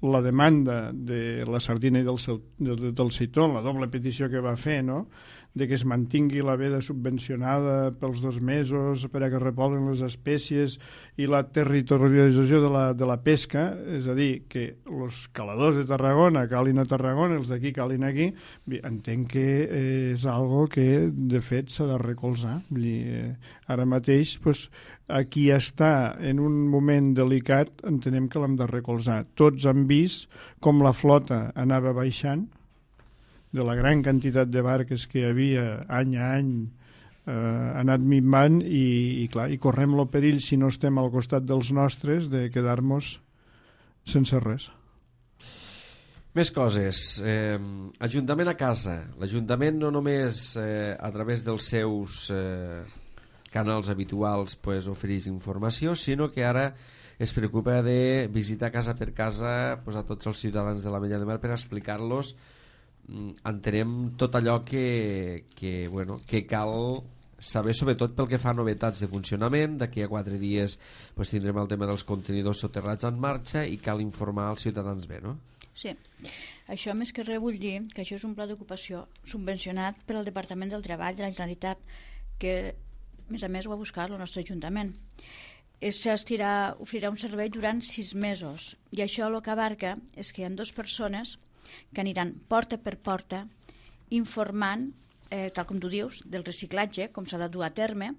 la demanda de la sardina i del, seu, del, del seitó, la doble petició que va fer, no?, de que es mantingui la veda subvencionada pels dos mesos per a que repoblen les espècies i la territorialització de la, de la pesca, és a dir, que els caladors de Tarragona calin a Tarragona, els d'aquí calin aquí, entenc que és algo que de fet s'ha de recolzar. Vull dir, eh, ara mateix, pues, a qui està en un moment delicat entenem que l'hem de recolzar. Tots han vist com la flota anava baixant, de la gran quantitat de barques que hi havia any a any, eh, ha anat minvant i, i, clar, i correm el perill, si no estem al costat dels nostres, de quedar-nos sense res. Més coses. Eh, Ajuntament a casa. L'Ajuntament no només eh, a través dels seus eh, canals habituals pues, ofereix informació, sinó que ara es preocupa de visitar casa per casa pues, a tots els ciutadans de l'Ametlla de Mar per explicar-los, entenem tot allò que, que, bueno, que cal saber, sobretot pel que fa a novetats de funcionament. D'aquí a quatre dies pues, tindrem el tema dels contenidors soterrats en marxa i cal informar als ciutadans bé, no? Sí, això més que res vull dir que això és un pla d'ocupació subvencionat per al Departament del Treball de la Generalitat, que a més a més ho ha buscat el nostre Ajuntament. S'estirà, oferirà un servei durant sis mesos i això el que abarca és que hi ha dues persones que aniran porta per porta informant, eh, tal com tu dius, del reciclatge, com s'ha de dur a terme,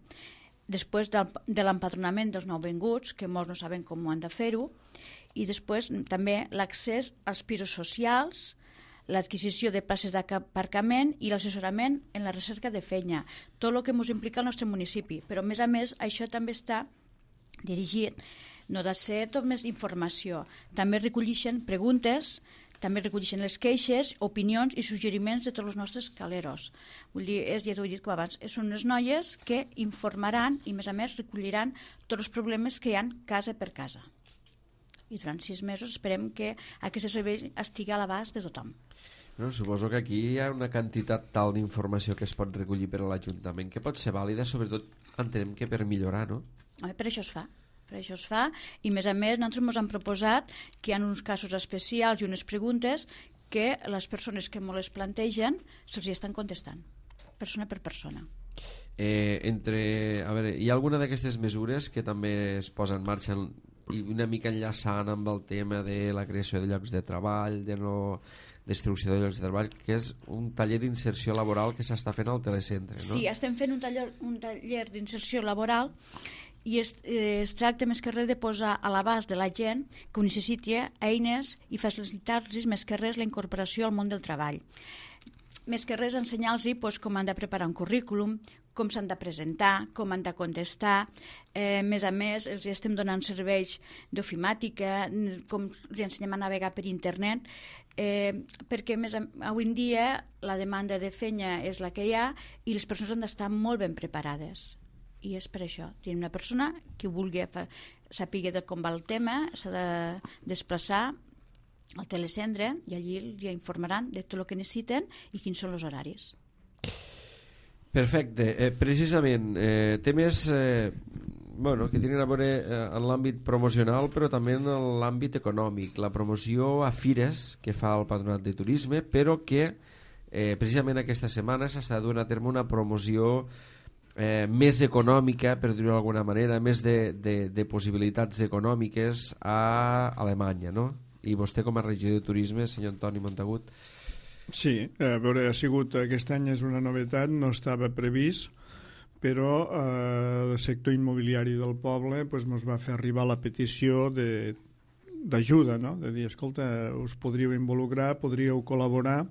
després del, de l'empadronament dels nouvinguts, que molts no saben com ho han de fer-ho, i després també l'accés als pisos socials, l'adquisició de places d'aparcament i l'assessorament en la recerca de feina, tot el que ens implica el nostre municipi. Però a més a més això també està dirigit, no ha de ser tot més informació, també recolleixen preguntes, també recolleixen les queixes, opinions i suggeriments de tots els nostres caleros. Vull dir, és, ja t'ho he dit com abans, són unes noies que informaran i, a més a més, recolliran tots els problemes que hi ha casa per casa. I durant sis mesos esperem que aquest servei estigui a l'abast de tothom. No, suposo que aquí hi ha una quantitat tal d'informació que es pot recollir per a l'Ajuntament que pot ser vàlida, sobretot entenem que per millorar, no? Home, per això es fa. Per això es fa, i a més a més nosaltres ens han proposat que hi ha uns casos especials i unes preguntes que les persones que me les plantegen se'ls estan contestant, persona per persona. Eh, entre, a veure, hi ha alguna d'aquestes mesures que també es posa en marxa i una mica enllaçant amb el tema de la creació de llocs de treball, de no destrucció de llocs de treball, que és un taller d'inserció laboral que s'està fent al telecentre, no? Sí, estem fent un taller, un taller d'inserció laboral i es, eh, es tracta més que res de posar a l'abast de la gent que ho necessiti eines i facilitar-los més que res la incorporació al món del treball. Més que res ensenyar-los pues, com han de preparar un currículum, com s'han de presentar, com han de contestar. Eh, a més a més, els estem donant serveis d'ofimàtica, com els ensenyem a navegar per internet, eh, perquè més a, avui en dia la demanda de feina és la que hi ha i les persones han d'estar molt ben preparades. I és per això. Tenim una persona que vulgui saber de com va el tema, s'ha de desplaçar al telecentre i allí ja informaran de tot el que necessiten i quins són els horaris. Perfecte. Eh, precisament, eh, temes eh, bueno, que tenen a veure eh, en l'àmbit promocional però també en l'àmbit econòmic. La promoció a fires que fa el Patronat de Turisme, però que eh, precisament aquesta setmana s'està duent a terme una promoció Eh, més econòmica, per dir-ho d'alguna manera, més de, de, de possibilitats econòmiques a Alemanya, no? I vostè com a regidor de turisme, senyor Antoni Montagut. Sí, a veure, ha sigut, aquest any és una novetat, no estava previst, però eh, el sector immobiliari del poble pues, ens va fer arribar la petició de, d'ajuda, no? De dir, escolta, us podríeu involucrar, podríeu col·laborar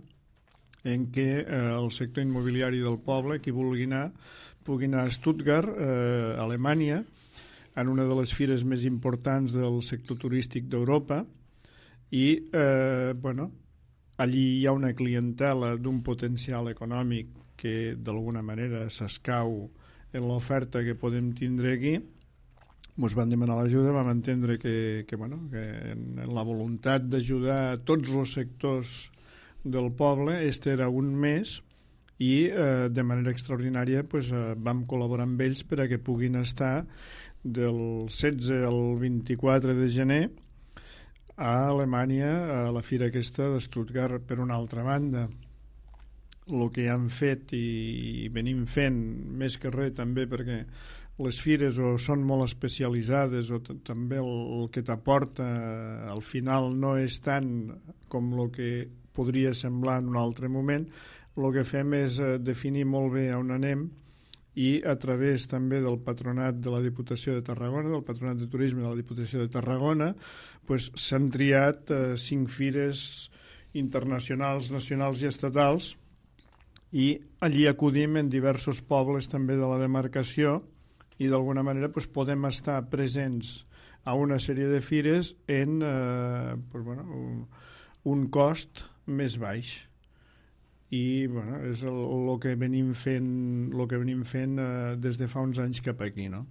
en què eh, el sector immobiliari del poble, qui vulgui anar, pugui anar a Stuttgart, eh, Alemanya, en una de les fires més importants del sector turístic d'Europa, i eh, bueno, allí hi ha una clientela d'un potencial econòmic que d'alguna manera s'escau en l'oferta que podem tindre aquí, ens van demanar l'ajuda, vam entendre que, que, bueno, que en la voluntat d'ajudar tots els sectors del poble, este era un mes, i eh, de manera extraordinària pues, eh, vam col·laborar amb ells per a que puguin estar del setze al vint-i-quatre de gener a Alemanya, a la fira aquesta de Stuttgart. Per una altra banda, el que han fet i venim fent, més que res també perquè les fires o són molt especialitzades o també el, el que t'aporta al final no és tant com el que podria semblar en un altre moment, el que fem és eh, definir molt bé on anem i a través també del patronat de la Diputació de Tarragona, del patronat de turisme de la Diputació de Tarragona, pues, s'han triat eh, cinc fires internacionals, nacionals i estatals, i allí acudim en diversos pobles també de la demarcació i d'alguna manera pues, podem estar presents a una sèrie de fires en eh, pues, bueno, un, un cost més baix. I bueno, és el, el que venim fent, el que venim fent eh, des de fa uns anys cap aquí, no?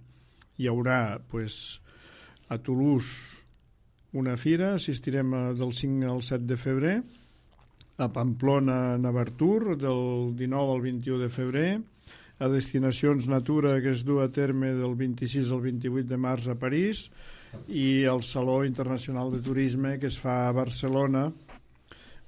Hi haurà pues, a Toulouse una fira, assistirem a, del cinc al set de febrer, a Pamplona, Navartur, del dinou al vint-i-u de febrer, a Destinacions Natura, que es du a terme del vint-i-sis al vint-i-vuit de març a París, i el Saló Internacional de Turisme, que es fa a Barcelona,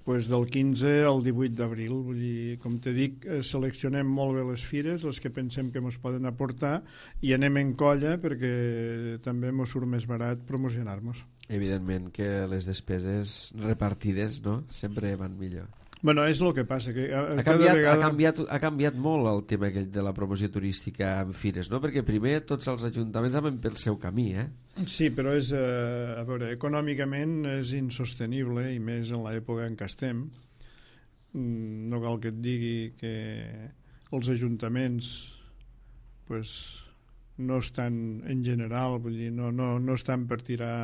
pues del quinze al divuit d'abril. Vull dir, com te dic, seleccionem molt bé les fires, les que pensem que ens poden aportar, i anem en colla perquè també ens surt més barat promocionar-nos. Evidentment que les despeses repartides, no?, sempre van millor. Bueno, és el que passa. Que a, ha, canviat, vegada... ha, canviat, ha canviat molt el tema aquell de la promoció turística en fires, no? Perquè primer tots els ajuntaments anaven pel seu camí, eh? Sí, però és, eh, a veure, econòmicament és insostenible, i més en l'època en què estem. No cal que et digui que els ajuntaments pues, no estan, en general, vull dir, no, no, no estan per tirar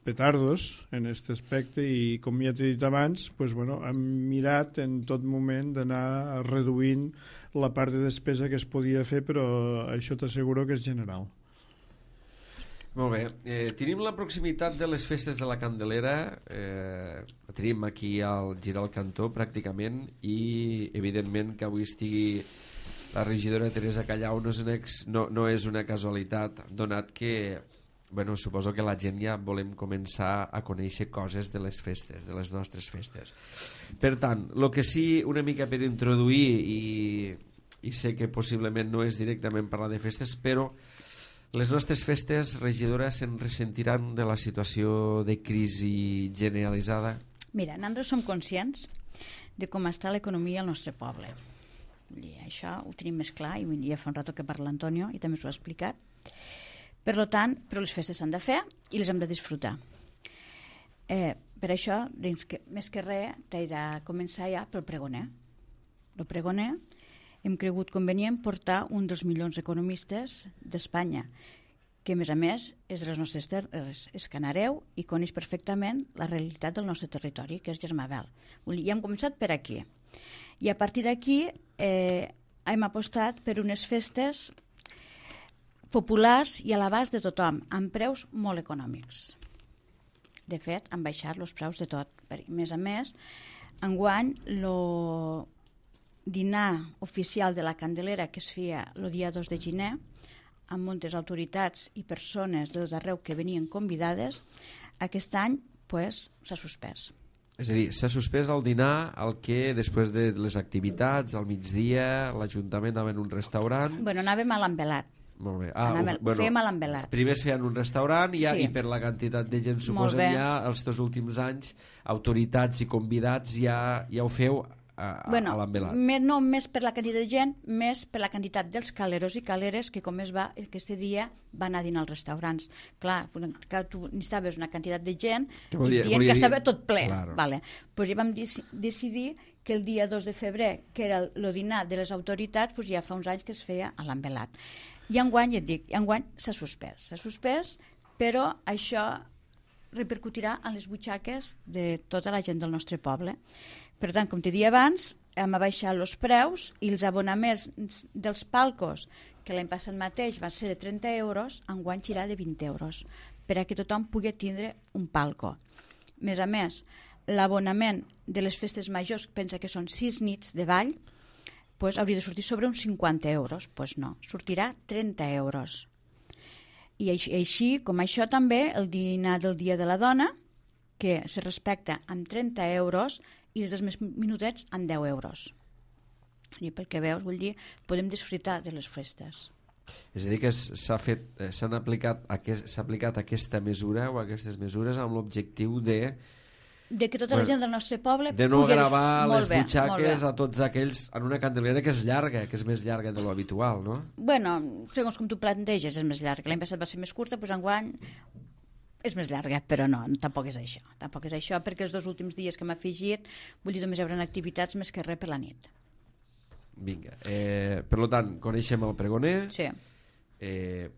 petardos en aquest aspecte, i com ja t'he dit abans, pues, bueno, hem mirat en tot moment d'anar reduint la part de despesa que es podia fer, però això t'asseguro que és general. Molt bé. Eh, tenim la proximitat de les festes de la Candelera, eh, tenim aquí al girar al cantó pràcticament, i evidentment que avui estigui la regidora Teresa Callau no és una, ex, no, no és una casualitat, donat que bueno, suposo que la gent ja volem començar a conèixer coses de les festes, de les nostres festes. Per tant, el que sí, una mica per introduir, i, i sé que possiblement no és directament parlar de festes, però les nostres festes, regidora, se'n ressentiran de la situació de crisi generalitzada? Mira, nosaltres som conscients de com està l'economia al nostre poble. I això ho tenim més clar, i ja fa un rato que parla l'Antonio i també s'ho ha explicat. Per tant, però les festes s'han de fer i les hem de disfrutar. Eh, per això, doncs, que, més que res, t'he de començar ja pel pregoner. El pregoner hem cregut convenient portar un dels millors economistes d'Espanya, que a més a més és de les nostres terres, és canareu i coneix perfectament la realitat del nostre territori, que és Germabel. I hem començat per aquí. I a partir d'aquí eh, hem apostat per unes festes populars i a l'abast de tothom, amb preus molt econòmics. De fet, han baixat els preus de tot. A més a més, enguany, el dinar oficial de la Candelera, que es feia el dia dos de gener, amb moltes autoritats i persones de tot arreu que venien convidades, aquest any pues, s'ha suspès. És a dir, s'ha suspès el dinar, el que després de les activitats, al migdia, l'Ajuntament anava en un restaurant... Bueno, anàvem a l'Embelat. Molt bé. Ah, Anàvem, bueno, fèiem a l'Embelat. Primer es feien un restaurant i, ja, sí. i per la quantitat de gent, suposem, ja els dos últims anys, autoritats i convidats ja, ja ho feu a, a, bueno, a l'Embelat. No més per la quantitat de gent, més per la quantitat dels caleros i caleres que, com es va, aquest dia va anar a dinar als restaurants. Clar, que tu necessitaves una quantitat de gent i volia, dient volia que dir... estava tot ple. Claro. Vale. Pues ja vam decidir que el dia dos de febrer, que era el dinar de les autoritats, pues ja fa uns anys que es feia a l'Embelat. I enguany, ja et dic, enguany s'ha suspès. S'ha suspès, però això repercutirà en les butxaques de tota la gent del nostre poble. Per tant, com t'he dit abans, hem abaixat els preus i els abonaments dels palcos, que l'any passat mateix van ser de trenta euros, enguany serà de vint euros, per a que tothom pugui tindre un palco. A més a més, l'abonament de les festes majors, pensa que són sis nits de ball, pues hauria de sortir sobre uns cinquanta euros. Doncs pues no, sortirà trenta euros. I així, així, com això també, el dinar del Dia de la Dona, que se respecta amb trenta euros i els dos més minutets amb deu euros. I pel que veus, vull dir, podem disfrutar de les festes. És a dir, que s'ha fet, s'han aplicat, s'ha aplicat aquesta mesura o aquestes mesures amb l'objectiu de de que tota la gent del nostre poble de no pugui... gravar les bé, butxaques a tots aquells en una candelera que és llarga, que és més llarga de lo habitual, no? Bueno, segons com tu planteges és més llarga. L'any passat va ser més curta, doncs enguany és més llarga, però no, tampoc és això. Tampoc és això, perquè els dos últims dies que m'ha afegit, vull dir, només hi haurà activitats més que res per la nit. Vinga, eh, per tant, coneixem el pregoner, sí. eh,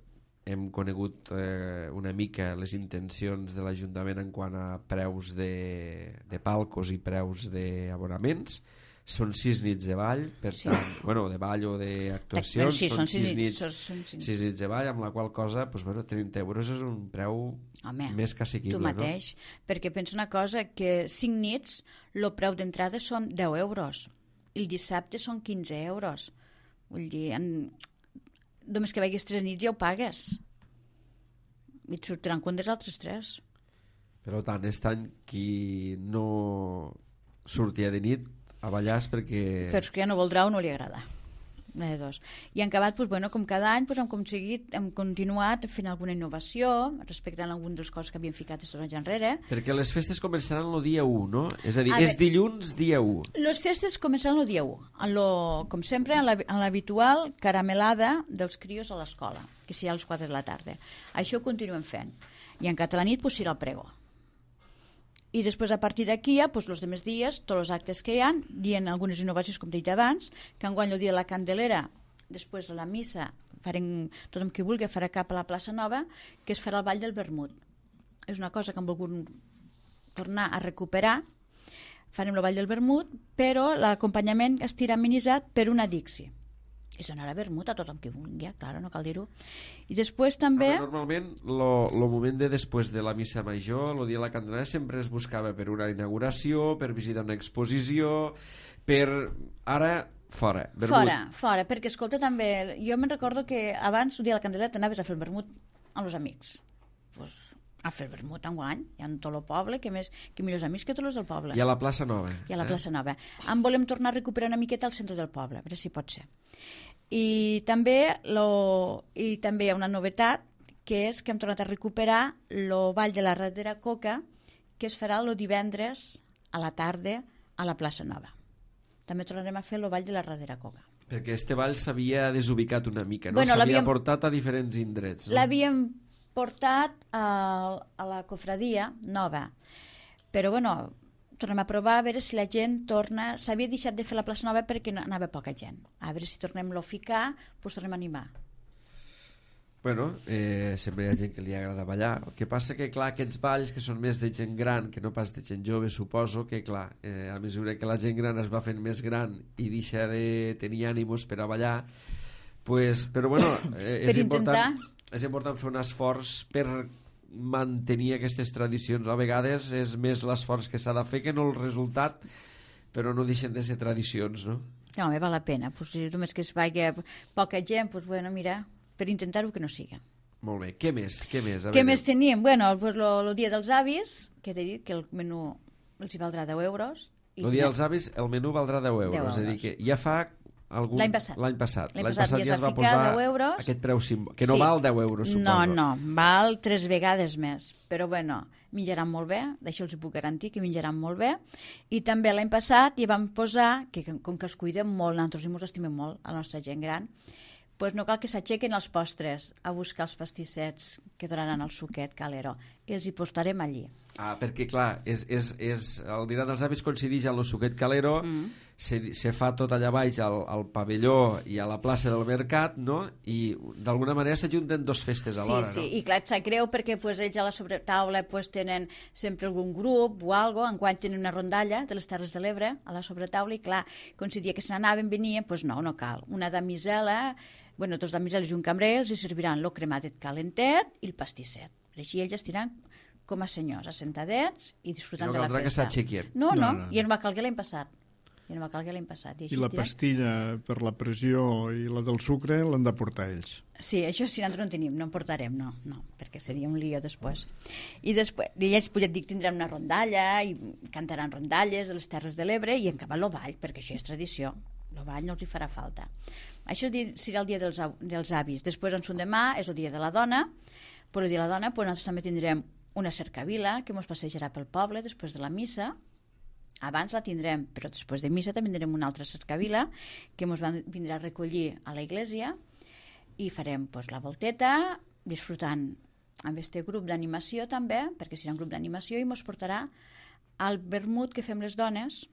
hem conegut eh, una mica les intencions de l'Ajuntament en quant a preus de, de palcos i preus d'abonaments. Són sis nits de ball, per sí. tant, bueno, de ball o d'actuacions, sí, són, són sis, sis, nits, són, són sis. sis nits de ball, amb la qual cosa, doncs, bueno, trenta euros és un preu Home, més que assequible. Tu mateix, no? Perquè pensa una cosa, que cinc nits, el preu d'entrada són deu euros, el dissabte són quinze euros. Vull dir, en... només que vagis tres nits ja ho pagues. I et sortiran compte els altres tres. Per tant, aquest any qui no sortia de nit a ballar és perquè... Però és que ja no voldrà o no li agrada. Una de dos. I en acabat, doncs, bueno, com cada any, doncs, hem aconseguit, hem continuat fent alguna innovació respecte a algunes de les coses que havíem ficat aquests anys enrere. Perquè les festes començaran el dia u, no? És a dir, a és veure, dilluns dia u. Les festes començaran el dia u, en lo, com sempre, en l'habitual caramelada dels crios a l'escola, que serà a les quatre de la tarda. Això ho continuem fent. I en català nit, doncs, serà el pregó. I després, a partir d'aquí, ja, doncs, els demés dies, tots els actes que hi ha, dient algunes innovacions, com he dit abans, que enguany el dia de la Candelera, després de la missa, farem, tothom qui vulgui farà cap a la plaça Nova, que es farà el ball del vermut. És una cosa que hem volgut tornar a recuperar. Farem el ball del vermut, però l'acompanyament estirà amenitzat per una Dixi. Es donarà vermut a tothom qui vulgui, clar, no cal dir-ho. I després també... Veure, normalment, el moment de després de la missa major, el dia de la Candelera, sempre es buscava per una inauguració, per visitar una exposició, per... Ara, fora, vermut. Fora, fora, perquè, escolta, també... Jo me'n recordo que abans, el dia de la Candelera, t'anaves a fer el vermut amb els amics. Pues, a fer el vermut enguany, hi ha tot el poble, que més que millors amics que tots els del poble. I a la plaça Nova. I a la eh? plaça Nova. En volem tornar a recuperar una miqueta al centre del poble, a veure si pot ser. I també, lo, i també hi ha una novetat, que és que hem tornat a recuperar el ball de la Radera Coca, que es farà el divendres a la tarda a la plaça Nova. També tornarem a fer el ball de la Radera Coca. Perquè este ball s'havia desubicat una mica, no? Bueno, s'havia portat a diferents indrets. No? L'havíem portat a, a la cofradia Nova, però bueno, tornem a provar a veure si la gent torna... S'havia deixat de fer la plaça Nova perquè no, anava poca gent. A veure si tornem-lo a ficar, doncs tornem a animar. Bueno, eh, sempre hi ha gent que li agrada ballar. El que passa que, clar, aquests balls que són més de gent gran que no pas de gent jove, suposo que, clar, eh, a mesura que la gent gran es va fent més gran i deixa de tenir ànimos per a ballar, pues, però bueno, eh, és, important, és important fer un esforç per mantenir aquestes tradicions. A vegades és més l'esforç que s'ha de fer que no el resultat, però no deixen de ser tradicions, no? No, home, val la pena. Pues, si només que es vagi poca gent, pues, bueno, mira, per intentar-ho que no siga. Molt bé. Què més? Què més, a Què veure. més teníem? Bueno, pues, el dia dels avis, que t'he dit que el menú els hi valdrà deu euros. El dia dels avis, el menú valdrà deu euros. deu euros. És a dir, que ja fa... Algun... L'any passat. L'any passat. L'any passat, passat ja es va posar deu euros. Aquest preu simbòlic, que no sí. val deu euros, suposo. No, no, val tres vegades més. Però bueno, menjaran molt bé, d'això els puc garantir que menjaran molt bé. I també l'any passat hi vam posar, que com que els cuidem molt, nosaltres ens estimem molt, a la nostra gent gran, doncs no cal que s'aixequen els postres a buscar els pastissets que donaran el suquet calero. i els hi postarem allí. Ah, perquè clar, és, és, és, el dinar dels avis coincideix amb el Suquet Calero, mm. se, se fa tot allà baix al, al pavelló i a la plaça del Mercat, no? I d'alguna manera s'ajunten dos festes alhora, sí, sí. no? I clar, et sap greu perquè pues, ells a la sobretaula pues, tenen sempre algun grup o algo, enguany tenen una rondalla de les Terres de l'Ebre a la sobretaula i clar, coincidia que se n'anaven, venien, doncs pues no, no cal. Una damisela, bueno, dos damiseles i un cambrer els hi serviran el cremadet calentet i el pastisset. Per així ells estiran com a senyors, assentadets i disfrutant no de la festa. No caldrà que s'aixequien. No, no, no, no, no. i no va calguer l'any passat. I no va calguer l'any passat. I, I la pastilla per la pressió i la del sucre l'han de portar ells. Sí, això sí, nosaltres no en tenim, no en portarem, no, no, perquè seria un lío després. I després, i ells, ja et dic, tindran una rondalla i cantaran rondalles de les Terres de l'Ebre i en acabar l'Ovall, perquè això és tradició. L'Ovall no els hi farà falta. Això serà el dia dels, dels avis. Després, en son demà, és el dia de la dona. Per el dia de la dona, pues, nosaltres també tindrem una cercavila que ens passejarà pel poble després de la missa. Abans la tindrem, però després de missa també tindrem una altra cercavila que ens vindrà a recollir a la iglesia i farem pues, la volteta, disfrutant amb este grup d'animació també, perquè serà un grup d'animació i ens portarà al vermut que fem les dones.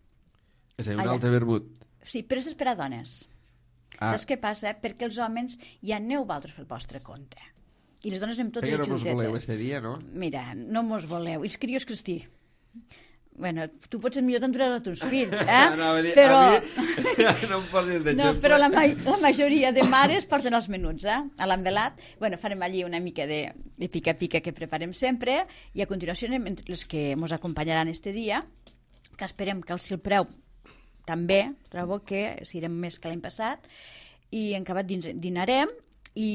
És a dir, un allà. altre vermut. Sí, però és per a dones. Ah. Saps què passa? Perquè els homes ja aneu vosaltres pel vostre compte. I les dones anem totes juntetes. juntetes. Perquè no mos voleu este dia, no? Mira, no mos voleu. I els crios cristí. Bueno, tu potser millor t'enduràs a tus fills, eh? No, a dir, però... a mi no em posis d'exemple. No, però la, ma la majoria de mares porten els menuts, eh? A l'envelat. Bueno, farem allí una mica de, de pica-pica que preparem sempre i a continuació anem entre les que ens acompanyaran este dia, que esperem que si el preu també, trobo que serem més que l'any passat, i en acabat dinarem i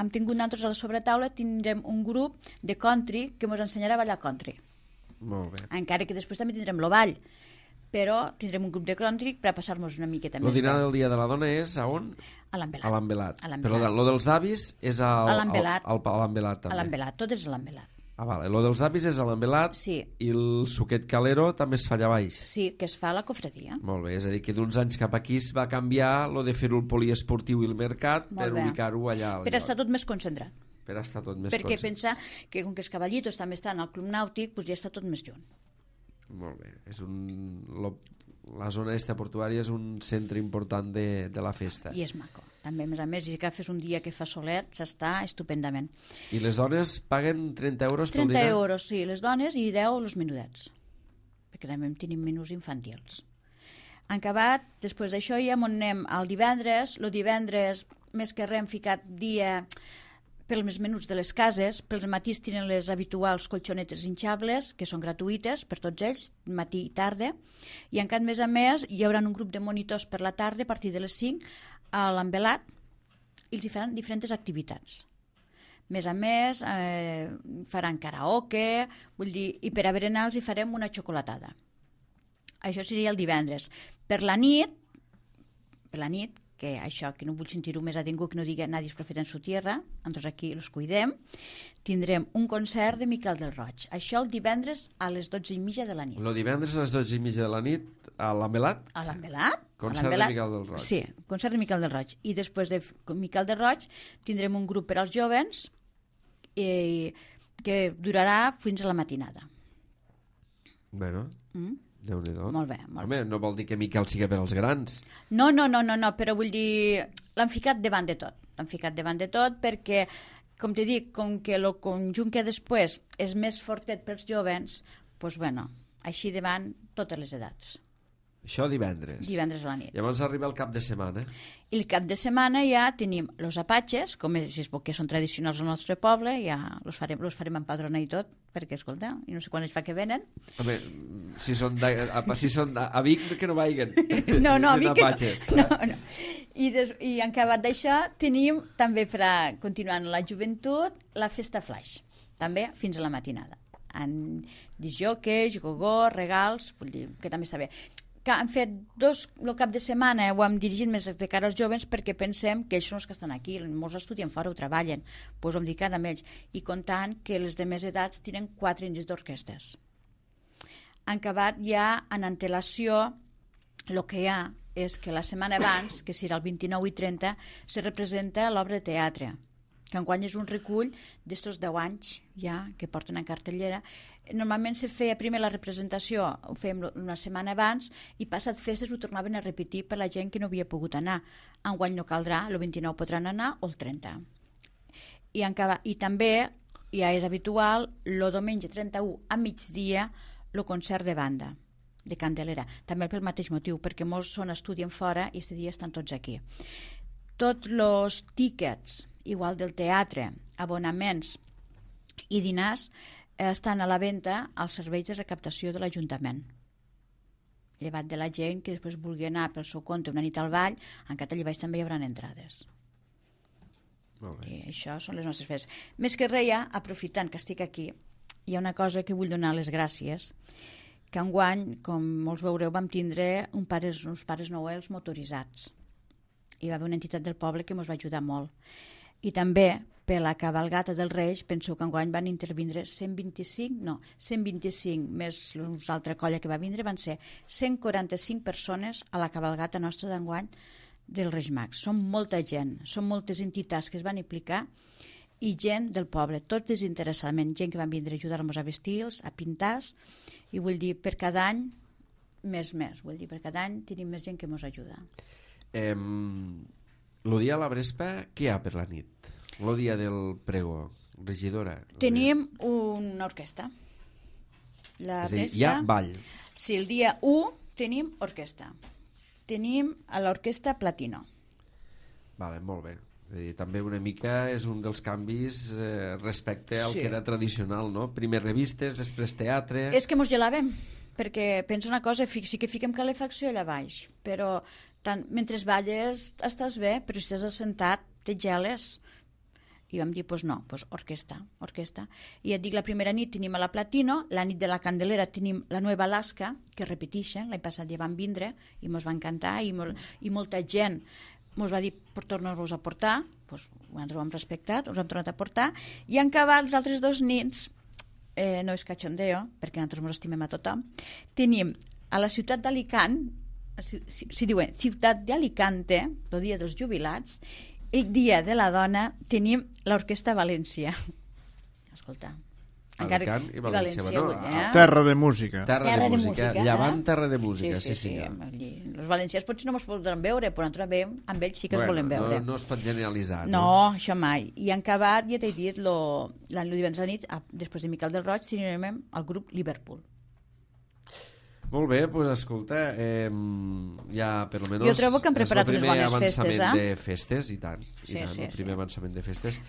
hem tingut nosaltres a la sobretaula tindrem un grup de country que ens ensenyarà a ballar country. Molt bé. Encara que després també tindrem l'Ovall, però tindrem un grup de country per a passar-nos una miqueta més. El dinar del dia de la dona és a on? A l'Envelat. A l'Envelat. Però el dels avis és al, a l'Envelat. Al, al, a l'Envelat també. A l'Envelat, tot és a l'Envelat. Ah, vale. El dels avis és a l'Envelat sí. I el Suquet Calero també es fa allà baix. Sí, que es fa a la cofradia. Molt bé, és a dir, que d'uns anys cap aquí es va canviar lo de fer-ho el poliesportiu i el mercat Molt per bé. ubicar-ho allà. Per estar tot més concentrat. Per estar tot més Perquè concentrat. pensa que com que els cavallitos també estan al club nàutic, doncs ja està tot més junt. Molt bé. És un, lo, la zona esta portuària és un centre important de, de la festa. I és maco. També, a més a més, si agafes un dia que fa solet, s'està estupendament. I les dones paguen trenta euros pel trenta dinar? euros, sí, les dones, i deu els menudets. Perquè també tenim menús infantils. En acabat, després d'això ja on anem al divendres. El divendres, més que res, hem ficat dia pels menuts de les cases. Pels matís tenen les habituals colxonetes hinxables, que són gratuïtes per tots ells, matí i tarda. I en cap més a més hi haurà un grup de monitors per la tarda a partir de les cinc a l'Envelat i els hi faran diferents activitats. Més a més, eh, faran karaoke, vull dir, i per a berenar els hi farem una xocolatada. Això seria el divendres. Per la nit, per la nit, que això, que no vull sentir-ho més a ningú que no digui nadie és profeta en su tierra, nosaltres aquí els cuidem, tindrem un concert de Miquel del Roig. Això el divendres a les dotze i mitja de la nit. El divendres a les dotze i mitja de la nit a l'Envelat? A l'Envelat. Concert de Miquel del Roig. Sí, concert de Miquel del Roig. I després de Miquel del Roig tindrem un grup per als jovens eh, que durarà fins a la matinada. Bueno... Mm? Déu-n'hi-do. Molt bé, molt Home, no vol dir que Miquel sigui per als grans. No, no, no, no, no, però vull dir, l'han ficat davant de tot. L'han ficat davant de tot perquè, com t'he dit, com que el conjunt que després és més fortet pels jovens, doncs, bueno, així davant totes les edats. Això divendres. Divendres a la nit. Llavors arriba el cap de setmana. I el cap de setmana ja tenim los apatxes, com és, que són tradicionals al nostre poble, ja los farem, los farem empadronar i tot, perquè, escolta, i no sé quan es fa que venen. Home, si són, de, a, si són a, a Vic, que no vagin. No, no, a Vic que no. no, no. I, des, I en acabat d'això tenim també, per a continuar la joventut, la festa flash, també fins a la matinada. En disjoques, gogó, regals, vull dir que també està bé. Que han fet dos, el cap de setmana ho hem dirigit més de cara als jovens perquè pensem que ells són els que estan aquí, molts estudien fora o treballen, doncs ho hem dedicat amb ells, i comptant que les de més edats tenen quatre anys d'orquestes. Han acabat ja en antelació, el que hi ha és que la setmana abans, que serà el vint-i-nou i trenta, se representa l'obra de teatre, que enguany és un recull d'estos deu anys ja que porten en cartellera. Normalment se feia primer la representació, ho fèiem una setmana abans, i passat festes ho tornaven a repetir per la gent que no havia pogut anar. Enguany no caldrà, el vint-i-nou podran anar o el trenta. I, encara, i també ja és habitual el diumenge trenta-u a migdia el concert de banda de Candelera, també pel mateix motiu, perquè molts són estudien fora i aquest dia estan tots aquí. Tots els tíquets, igual del teatre, abonaments i dinars, estan a la venda als serveis de recaptació de l'Ajuntament. Llevat de la gent que després vulgui anar pel seu compte una nit al ball, en Català Baix també hi haurà entrades. Molt bé. I això són les nostres festes. Més que res, aprofitant que estic aquí, hi ha una cosa que vull donar les gràcies, que enguany, com molts veureu, vam tindre un pares, uns pares noels motoritzats. Hi va haver una entitat del poble que ens va ajudar molt. I també, per la cabalgata dels Reis, penso que enguany van intervindre cent vint-i-cinc, no, cent vint-i-cinc més una altra colla que va vindre, van ser cent quaranta-cinc persones a la cabalgata nostra d'enguany dels Reis Mags. Són molta gent, són moltes entitats que es van implicar i gent del poble, tot desinteressadament, gent que van vindre a ajudar-nos a vestir-los, a pintar-los, i vull dir, per cada any, més més, vull dir, per cada any tenim més gent que ens ajuda. Eh, el dia a la Brespa, què hi ha per la nit? El dia del pregó, regidora? Tenim una orquestra. La És a dir, Brespa, hi ha ball. Sí, el dia u tenim orquestra. Tenim a l'orquestra Platino. Vale, molt bé. És a dir, també una mica és un dels canvis eh, respecte al Sí. que era tradicional, no? Primer revistes, després teatre... És que mos gelàvem, perquè pensa una cosa, sí que fiquem calefacció allà baix, però tant, mentre balles estàs bé, però si estàs assentat te geles. I vam dir, doncs no, doncs orquestra, orquestra. I et dic, la primera nit tenim a la Platino, la nit de la Candelera tenim la Nueva Alaska, que repeteixen, l'any passat ja van vindre i mos van cantar i, mol, i molta gent ens va dir per tornar-los a portar, doncs nosaltres ho hem respectat, us hem tornat a portar, i en acabar els altres dos nits, eh, no és cachondeo, perquè nosaltres ens estimem a tothom, tenim a la ciutat d'Alicant, si, si, si diuen ciutat d'Alicante, el dia dels jubilats, el dia de la dona tenim l'Orquestra València. Escolta, Alicant i València, bueno, vull, eh? Terra de música. Terra, Terra de de música, música, llevant eh? terra de música, sí, sí, sí, senyor. sí. Els valencians potser no ens podran veure, però nosaltres veiem, amb ells sí que bueno, es volen veure. No, no es pot generalitzar, No, no? això mai. I en acabat, ja t'he dit, lo, la, lo divendres a la nit, a, després de Miquel del Roig, tenim el grup Liverpool. Molt bé, doncs escolta, eh, ja per almenys... Jo trobo que han preparat unes bones festes, eh? el primer avançament de festes, i tant, i Sí, tant, sí, el primer sí. avançament de festes.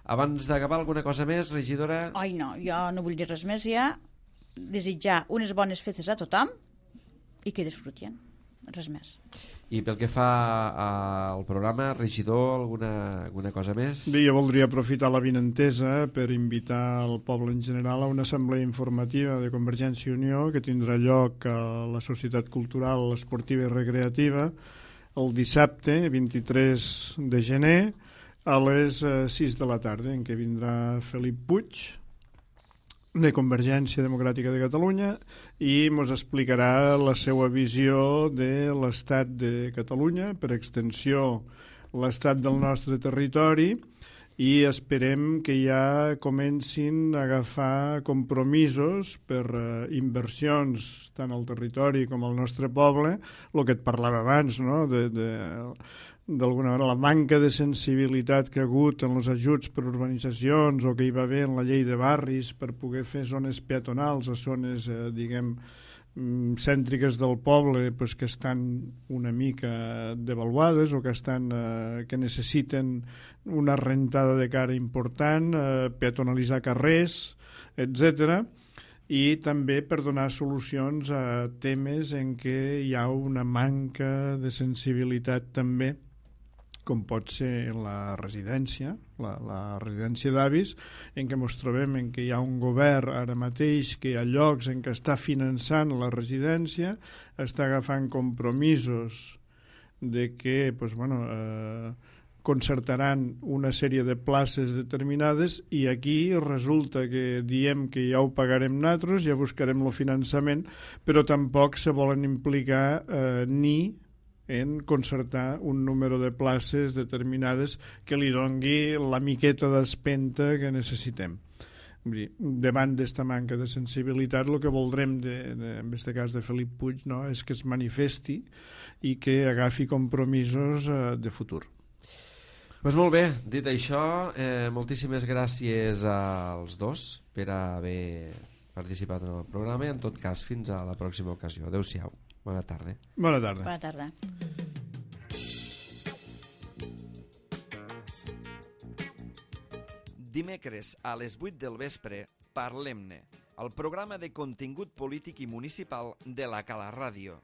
Abans d'acabar, alguna cosa més, regidora? Ai, no, jo no vull dir res més ja. Desitjar unes bones festes a tothom i que disfrutien, res més. I pel que fa al programa, regidor, alguna, alguna cosa més? Bé, jo voldria aprofitar la vinentesa per invitar el poble en general a una assemblea informativa de Convergència i Unió que tindrà lloc a la Societat Cultural Esportiva i Recreativa el dissabte vint-i-tres de gener a les sis de la tarda, en què vindrà Felip Puig, de Convergència Democràtica de Catalunya, i ens explicarà la seva visió de l'estat de Catalunya, per extensió l'estat del nostre territori, i esperem que ja comencin a agafar compromisos per uh, inversions tant al territori com al nostre poble, el que et parlava abans, no? de, de, d'alguna manera la manca de sensibilitat que ha hagut en els ajuts per urbanitzacions o que hi va haver en la llei de barris per poder fer zones peatonals a zones, eh, diguem, cèntriques del poble, pues, que estan una mica devaluades o que, estan, eh, que necessiten una rentada de cara important, eh, peatonalitzar carrers, etcètera, i també per donar solucions a temes en què hi ha una manca de sensibilitat també, com pot ser la residència, la, la residència d'avis, en què ens trobem en què hi ha un govern ara mateix que hi ha llocs en què està finançant la residència, està agafant compromisos de que pues, bueno, eh, concertaran una sèrie de places determinades i aquí resulta que diem que ja ho pagarem nosaltres, ja buscarem el finançament, però tampoc se volen implicar eh, ni en concertar un número de places determinades que li dongui la miqueta d'espenta que necessitem. Vull dir, davant d'esta manca de sensibilitat, el que voldrem, de, de, en aquest cas de Felip Puig, no, és que es manifesti i que agafi compromisos eh, de futur. Pues molt bé, dit això, eh, moltíssimes gràcies als dos per haver participat en el programa i en tot cas fins a la pròxima ocasió. Adéu-siau, bona tarda. Bona tarda. Bona tarda. Dimecres a les vuit del vespre, Parlem-ne, el programa de contingut polític i municipal de la Cala Ràdio.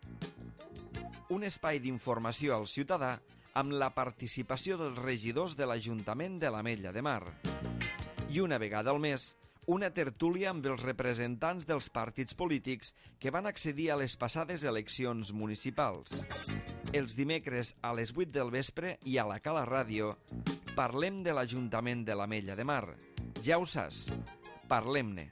Un espai d'informació al ciutadà amb la participació dels regidors de l'Ajuntament de l'Ametlla de Mar. I una vegada al mes, una tertúlia amb els representants dels partits polítics que van accedir a les passades eleccions municipals. Els dimecres a les vuit del vespre i a la Cala Ràdio parlem de l'Ajuntament de l'Ametlla de Mar. Ja ho saps, parlem-ne.